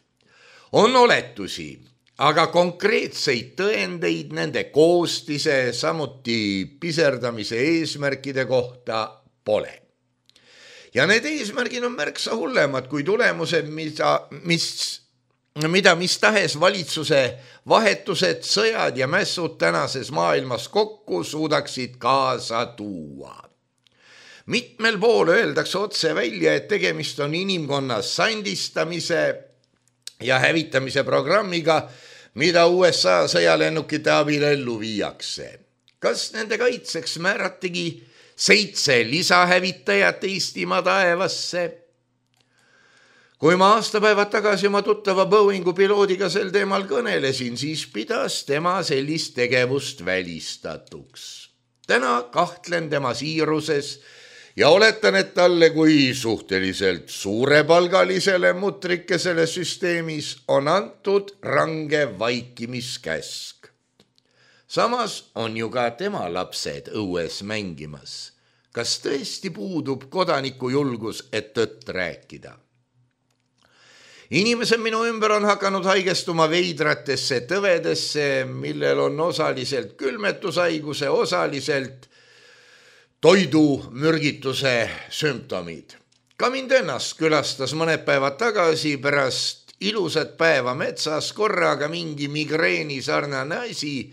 On oletusi, aga konkreetseid tõendeid nende koostise, samuti piserdamise eesmärkide kohta pole. Ja need eesmärgid on märksa hullemad kui tulemused, mida mis, mida mis tahes valitsuse vahetused, sõjad ja mässud tänases maailmas kokku suudaksid kaasa tuua. Mitmel pool öeldakse otse välja, et tegemist on inimkonna sandistamise ja hävitamise programmiga, mida U S A sõjalennukite abil ellu viiakse. Kas nende kaitseks määratigi seitse lisahävitajat Eestimaa taevasse? Kui ma aastapäevad tagasi oma tuttava Boeingu piloodiga sel teemal kõnelesin, siis pidas tema sellist tegevust välistatuks. Täna kahtlen tema siiruses ja oletan, et talle kui suhteliselt suurepalgalisele mutrikesele süsteemis on antud range vaikimiskäsk. Samas on ju ka tema lapsed õues mängimas. Kas tõesti puudub kodaniku julgus, et tõtt rääkida? Inimesed minu ümber on hakanud haigestuma veidratesse tõvedesse, millel on osaliselt külmetushaiguse, osaliselt toidumürgituse sümptomid. Ka mind ennast külastas mõned päevad tagasi pärast ilusat päeva metsas korraga mingi migreeni sarnane asi,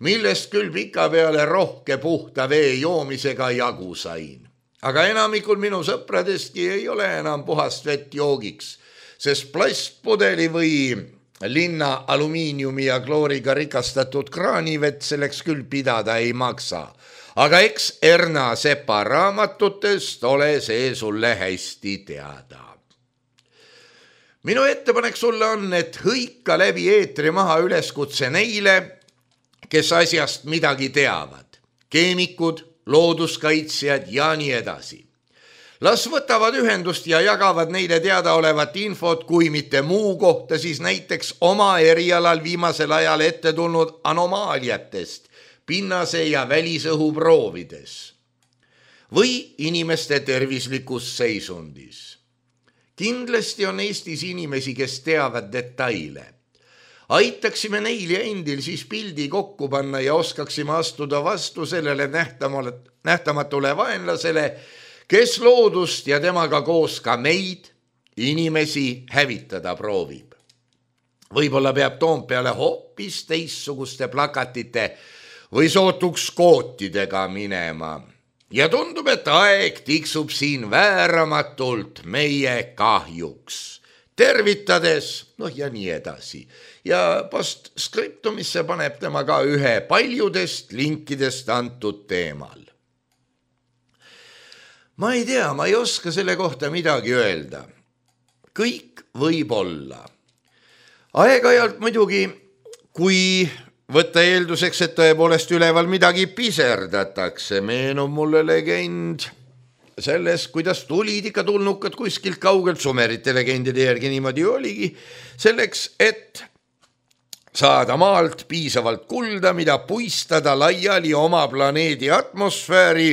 millest küll pika peale rohke puhta vee joomisega jagu sain. Aga enamikul minu sõpradestki ei ole enam puhast vett joogiks, sest plastpudeli või linna alumiiniumi ja klooriga rikastatud kraanivett selleks küll pidada ei maksa. Aga eks Erna Sepa raamatutest ole see sulle hästi teada. Minu ettepanek sulle on, et hõika läbi eetri maha üleskutse neile, kes asjast midagi teavad, keemikud, looduskaitsjad ja nii edasi. Las võtavad ühendust ja jagavad neile teadaolevat infot, kui mitte muu kohta, siis näiteks oma erialal viimasel ajal ette tulnud anomaaliatest, pinnase ja välisõhu proovides või inimeste tervislikus seisundis. Kindlasti on Eestis inimesi, kes teavad detaile. Aitaksime neil ja endil siis pildi kokku panna ja oskaksime astuda vastu sellele nähtamatule vaenlasele, kes loodust ja temaga koos ka meid, inimesi, hävitada proovib. Võib-olla peab Toompeale hoopis teistsuguste plakatite või sootuks kootidega minema. Ja tundub, et aeg tiksub siin vääramatult meie kahjuks. Tervitades, noh ja nii edasi. Ja postskriptumisse paneb tema ka ühe paljudest linkidest antud teemal. Ma ei tea, ma ei oska selle kohta midagi öelda. Kõik võib olla. Aeg-ajalt muidugi, kui võtta eelduseks, et tõepoolest üleval midagi piserdatakse, meenub mulle legend selles, kuidas tulid ikka tulnukad kuskilt kaugelt, Sumerite legendide järgi niimoodi oligi, selleks, et saada maalt piisavalt kulda, mida puistada laiali oma planeedi atmosfääri,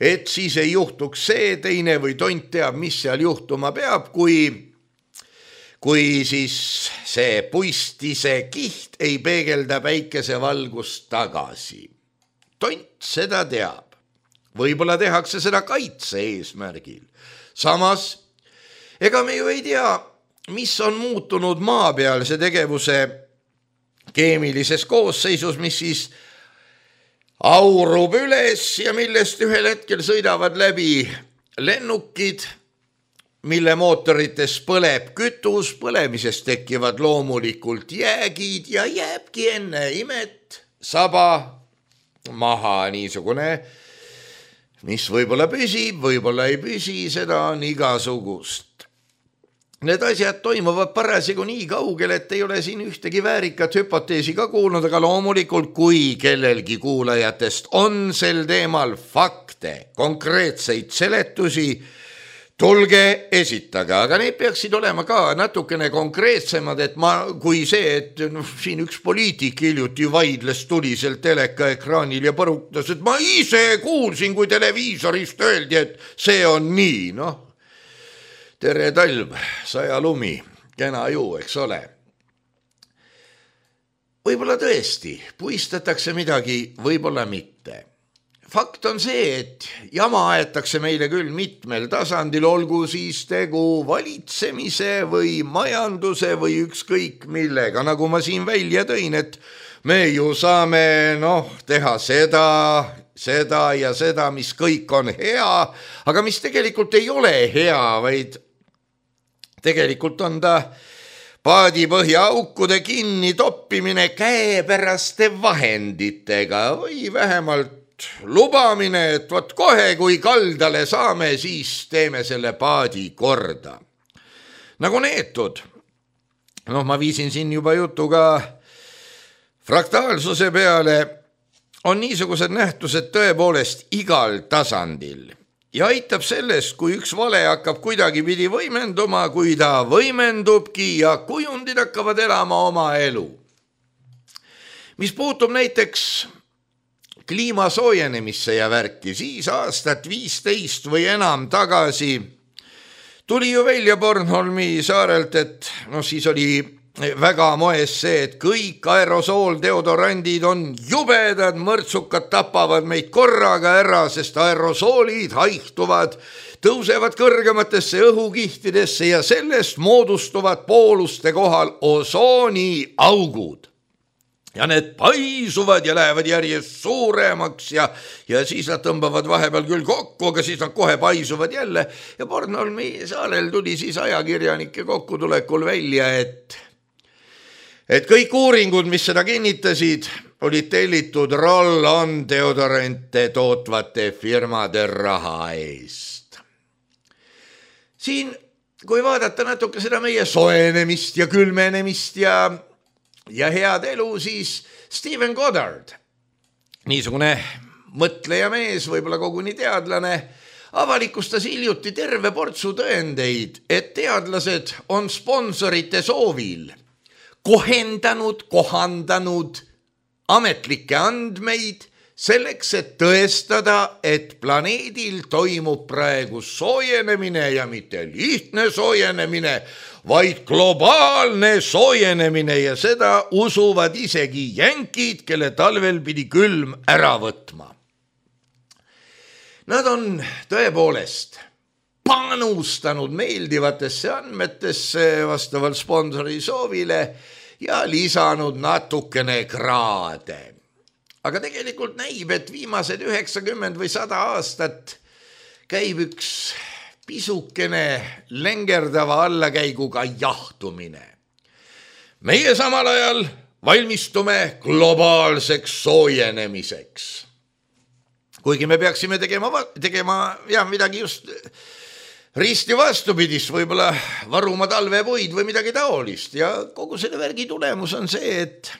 et siis ei juhtuks see, teine või tont teab, mis seal juhtuma peab, kui, kui siis see puistise kiht ei peegelda päikesevalgust tagasi. Tont seda teab. Võib-olla tehakse seda kaitse eesmärgil. Samas, ega me ju ei tea, mis on muutunud maapealse tegevuse keemilises koosseisus, mis siis aurub üles ja millest ühel hetkel sõidavad läbi lennukid, mille mootorites põleb kütus, põlemisest tekivad loomulikult jäägid ja jääbki enne imet saba maha niisugune, mis võib-olla püsib, võib-olla ei püsi, seda on igasugust. Need asjad toimuvad parasjagu nii kaugel, et ei ole siin ühtegi väärikat hüpoteesi ka kuulnud, aga loomulikult, kui kellelgi kuulajatest on sel teemal fakte, konkreetseid seletusi, tulge esitage, aga need peaksid olema ka natukene konkreetsemad, et ma, kui see, et no, siin üks poliitik hiljuti vaidles tuliselt teleka ekraanil ja põrutas, et ma ise kuulsin, kui televiisorist öeldi, et see on nii, noh. Tere talv, saja lumi, kena ju, eks ole. Võib-olla tõesti, puistatakse midagi, võib-olla mitte. Fakt on see, et jama aetakse meile küll mitmel tasandil, olgu siis tegu valitsemise või majanduse või ükskõik millega, nagu ma siin välja tõin, et me ju saame noh, teha seda, seda ja seda, mis kõik on hea, aga mis tegelikult ei ole hea, vaid tegelikult on ta paadipõhja aukude kinni toppimine käepäraste vahenditega või vähemalt lubamine, et võt kohe, kui kaldale saame, siis teeme selle paadi korda. Nagu neetud, noh, ma viisin siin juba jutu ka fraktaalsuse peale, on niisugused nähtused tõepoolest igal tasandil. Ja aitab sellest, kui üks vale hakkab kuidagi pidi võimenduma, kui ta võimendubki ja kujundid hakkavad elama oma elu. Mis puutub näiteks kliima soojenemisse ja värki, siis aastat viisteist või enam tagasi tuli ju välja Bornholmi saarelt, et no siis oli väga moes see, et kõik aerosooldeodorandid on jubedad, mõrtsukad tapavad meid korraga ära, sest aerosoolid haihtuvad, tõusevad kõrgematesse õhukihtidesse ja sellest moodustuvad pooluste kohal osooniaugud. Ja need paisuvad ja lähevad järjest suuremaks ja, ja siis nad tõmbavad vahepeal küll kokku, aga siis nad kohe paisuvad jälle. Ja Bornholmi saarel tuli siis ajakirjanike kokkutulekul välja, et et kõik uuringud, mis seda kinnitasid, olid tellitud roll-on deodorante tootvate firmade raha eest. Siin, kui vaadata natuke seda meie soojenemist ja külmenemist ja, ja head elu, siis Stephen Goddard, niisugune mõtleja mees, võib-olla koguni teadlane, avalikustas hiljuti terve portsu tõendeid, et teadlased on sponsorite soovil kohendanud, kohandanud ametlikke andmeid selleks, et tõestada, et planeedil toimub praegu soojenemine ja mitte lihtne soojenemine, vaid globaalne soojenemine ja seda usuvad isegi jänkid, kelle talvel pidi külm ära võtma. Nad on tõepoolest panustanud meeldivatesse andmetesse vastavalt sponsori soovile ja lisanud natukene kraade. Aga tegelikult näib, et viimased üheksakümmend või sada aastat käib üks pisukene lengerdava allakäiguga jahtumine. Meie samal ajal valmistume globaalseks soojenemiseks. Kuigi me peaksime tegema, tegema ja midagi just risti vastupidist, võib-olla varuma talvepuid või midagi taolist. Ja kogu selle värgi tulemus on see, et,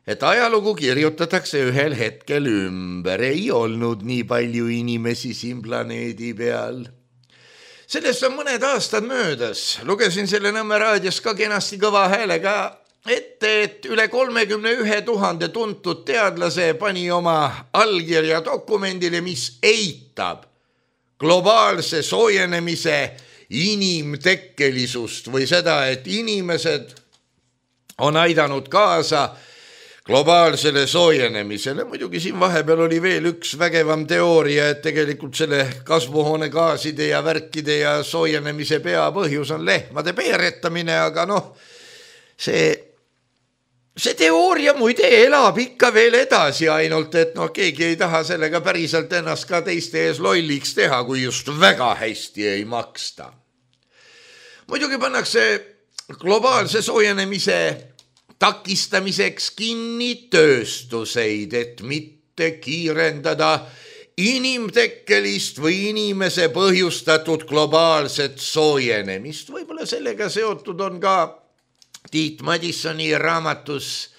et ajalugu kirjutatakse ühel hetkel ümber. Ei olnud nii palju inimesi siin planeedi peal. Sellest on mõned aastad möödas. Lugesin selle Nõmme raadios ka kenasti kõva häälega ette, et üle kolmekümne ühe tuhande tuntud teadlase pani oma allkirja dokumendile, mis eitab globaalse soojenemise inimtekkelisust või seda, et inimesed on aidanud kaasa globaalsele soojenemisele. Muidugi siin vahepeal oli veel üks vägevam teooria, et tegelikult selle kasvuhoonegaaside ja värkide ja soojenemise peapõhjus on lehmade peeretamine, aga noh, see See teooria muide elab ikka veel edasi, ainult et noh, keegi ei taha sellega päriselt ennast ka teiste ees lolliks teha, kui just väga hästi ei maksta. Muidugi pannakse globaalse soojenemise takistamiseks kinni tööstuseid, et mitte kiirendada inimtekkelist või inimese põhjustatud globaalset soojenemist. Võib-olla sellega seotud on ka Tiit Madissoni raamatus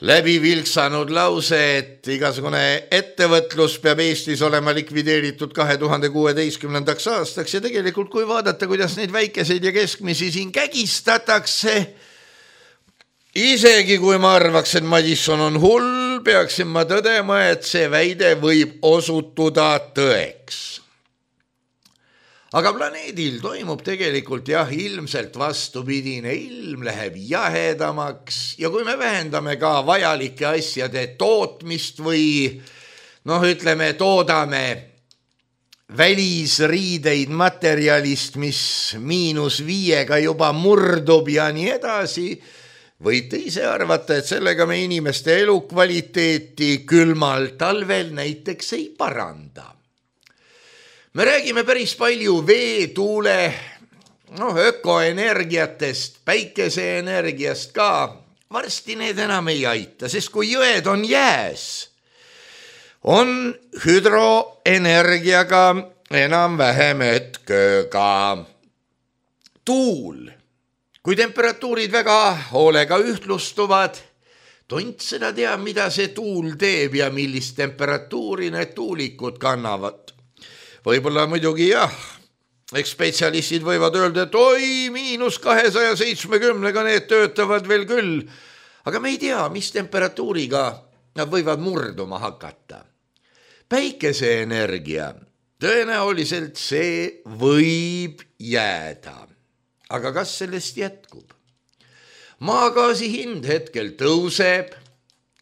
läbi vilksanud lause, et igasugune ettevõtlus peab Eestis olema likvideeritud kahe tuhande kuueteistkümnendaks aastaks ja tegelikult kui vaadata, kuidas neid väikeseid ja keskmisi siin kägistatakse, isegi kui ma arvaks, et Madisson on hull, peaksin ma tõdema, et see väide võib osutuda tõeks. Aga planeedil toimub tegelikult jah, ilmselt vastupidine, ilm läheb jahedamaks ja kui me vähendame ka vajalike asjade tootmist või noh, ütleme, toodame välisriideid materjalist, mis miinus viiega juba murdub ja nii edasi, võite ise arvata, et sellega me inimeste elukvaliteeti külmal talvel näiteks ei paranda. Me räägime päris palju vee, tuule, noh, ökoenergiatest, päikeseenergiast ka. Varsti need enam ei aita, sest kui jõed on jääs, on hüdroenergiaga enam vähem hetkööga. Tuul, kui temperatuurid väga hoolega ühtlustuvad, tont seda teab, mida see tuul teeb ja millist temperatuuri need tuulikud kannavad. Võib-olla muidugi jah, eks spetsialistid võivad öelda, et oi, miinus kahesaja seitsmekümnega need töötavad veel küll, aga me ei tea, mis temperatuuriga nad võivad murduma hakata. Päikeseenergia, tõenäoliselt see võib jääda, aga kas sellest jätkub? Maagaasi hind hetkel tõuseb,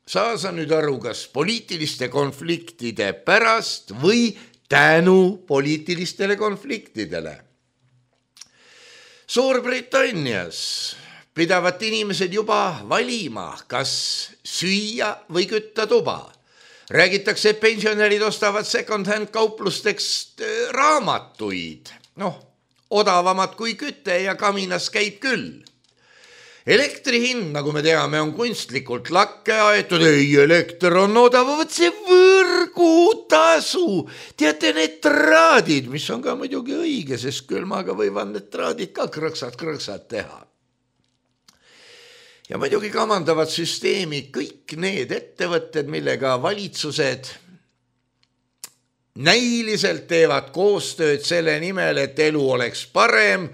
saa sa nüüd aru, kas poliitiliste konfliktide pärast või tänu poliitilistele konfliktidele. Suurbritannias pidavad inimesed juba valima, kas süüa või kütta tuba. Räägitakse, et pensionärid ostavad second-hand kauplusteks raamatuid. Noh, odavamad kui küte ja kaminas käib küll. Elektri hind, nagu me teame, on kunstlikult lakke aetud. Ei, elekter on odav, võt see võrgutasu. Teate, need traadid, mis on ka muidugi õige, sest külmaga võivad need traadid ka krõksad-krõksad teha. Ja muidugi kamandavad süsteemi kõik need ettevõtted, millega valitsused näiliselt teevad koostööd selle nimel, et elu oleks parem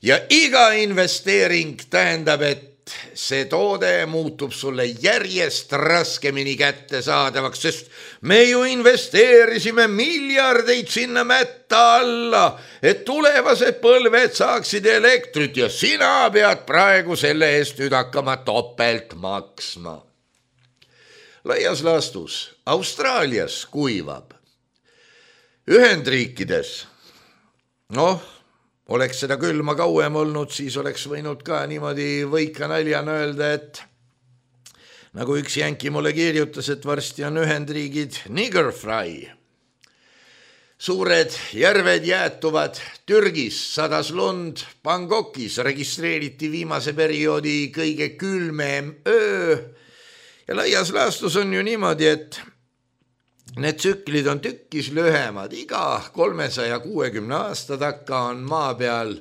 ja iga investeering tähendab, et see toode muutub sulle järjest raskemini kättesaadavaks, sest me ju investeerisime miljardeid sinna mätta alla, et tulevased põlved saaksid elektrit ja sina pead praegu selle eest nüüd hakkama topelt maksma. Laias laastus Austraalias kuivab. Ühendriikides, noh, oleks seda külma kauem olnud, siis oleks võinud ka niimoodi võika naljana öelda, et nagu üks jänki mulle kirjutas, et varsti on Ühendriigid nigger fry. Suured järved jäätuvad, Türgis sadas lund, Bangkokis registreeriti viimase perioodi kõige külmem öö ja laias laastus on ju niimoodi, et need tsüklid on tükkis lühemad, iga kolmesaja kuuekümne aasta takka on maa peal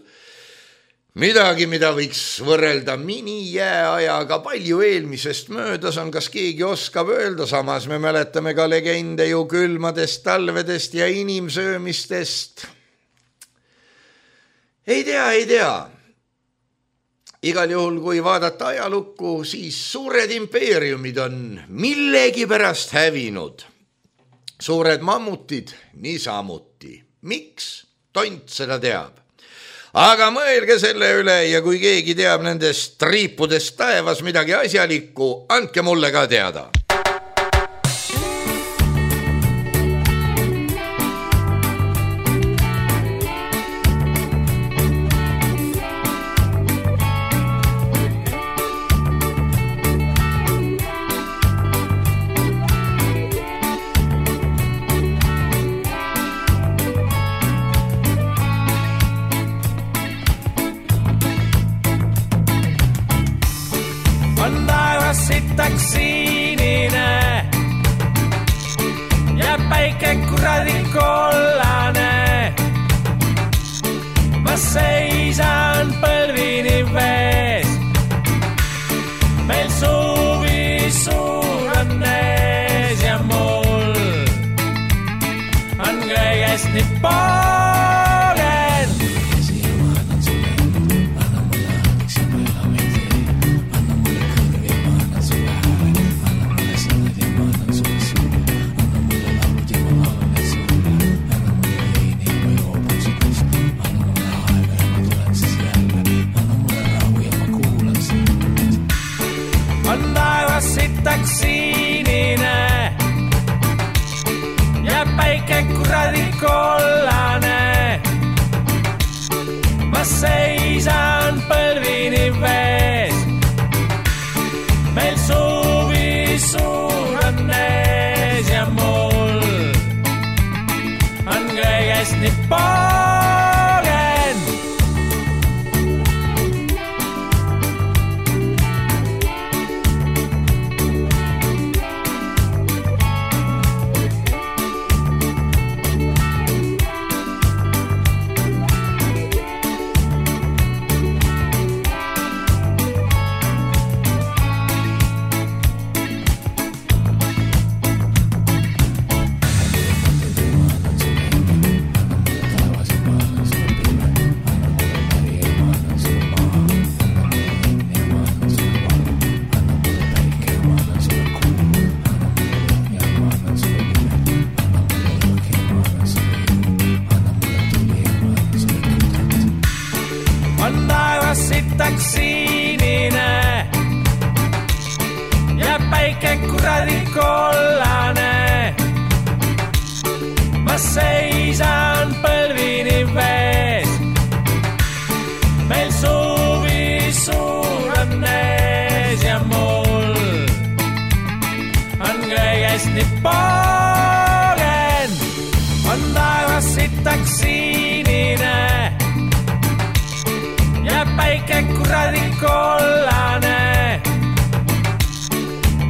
midagi, mida võiks võrrelda minijääajaga, palju eelmisest möödas on, kas keegi oskab öelda, samas me mäletame ka legende ju külmadest talvedest ja inimsöömistest. Ei tea, ei tea. Igal juhul, kui vaadata ajalukku, siis suured impeeriumid on millegi pärast hävinud. Suured mammutid niisamuti. Miks? Tont seda teab. Aga mõelge selle üle ja kui keegi teab nendest triipudest taevas midagi asjalikku, andke mulle ka teada. Sinine ja päike kuradi kollane. Ma seisan põlvini vees, meil suvi suur on ees ja mul on kõigest nii pooled. Sinine ja päike kuradi kollane. Ma seisan põlvini vees, meil suvi suur on ees ja mul on kõigest nii pooled. Sinine ja päike kuradi kollane. Ma seisan põlvini vees, meil suvi suur on ees ja mul on kõigest nii pooled. On taevas sitaks sinine ja päike kuradi kollane.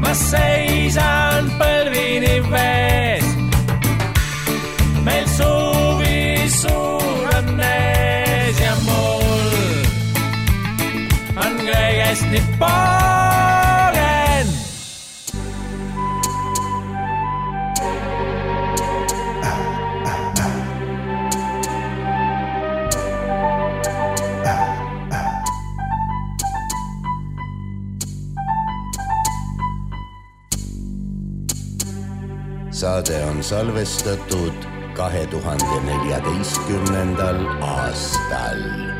Ma seisan põlvini vees, meil suvi suur on ees ja mul on kõigest nii pooled. saade on salvestatud kahe tuhande neljateistkümnendal aastal.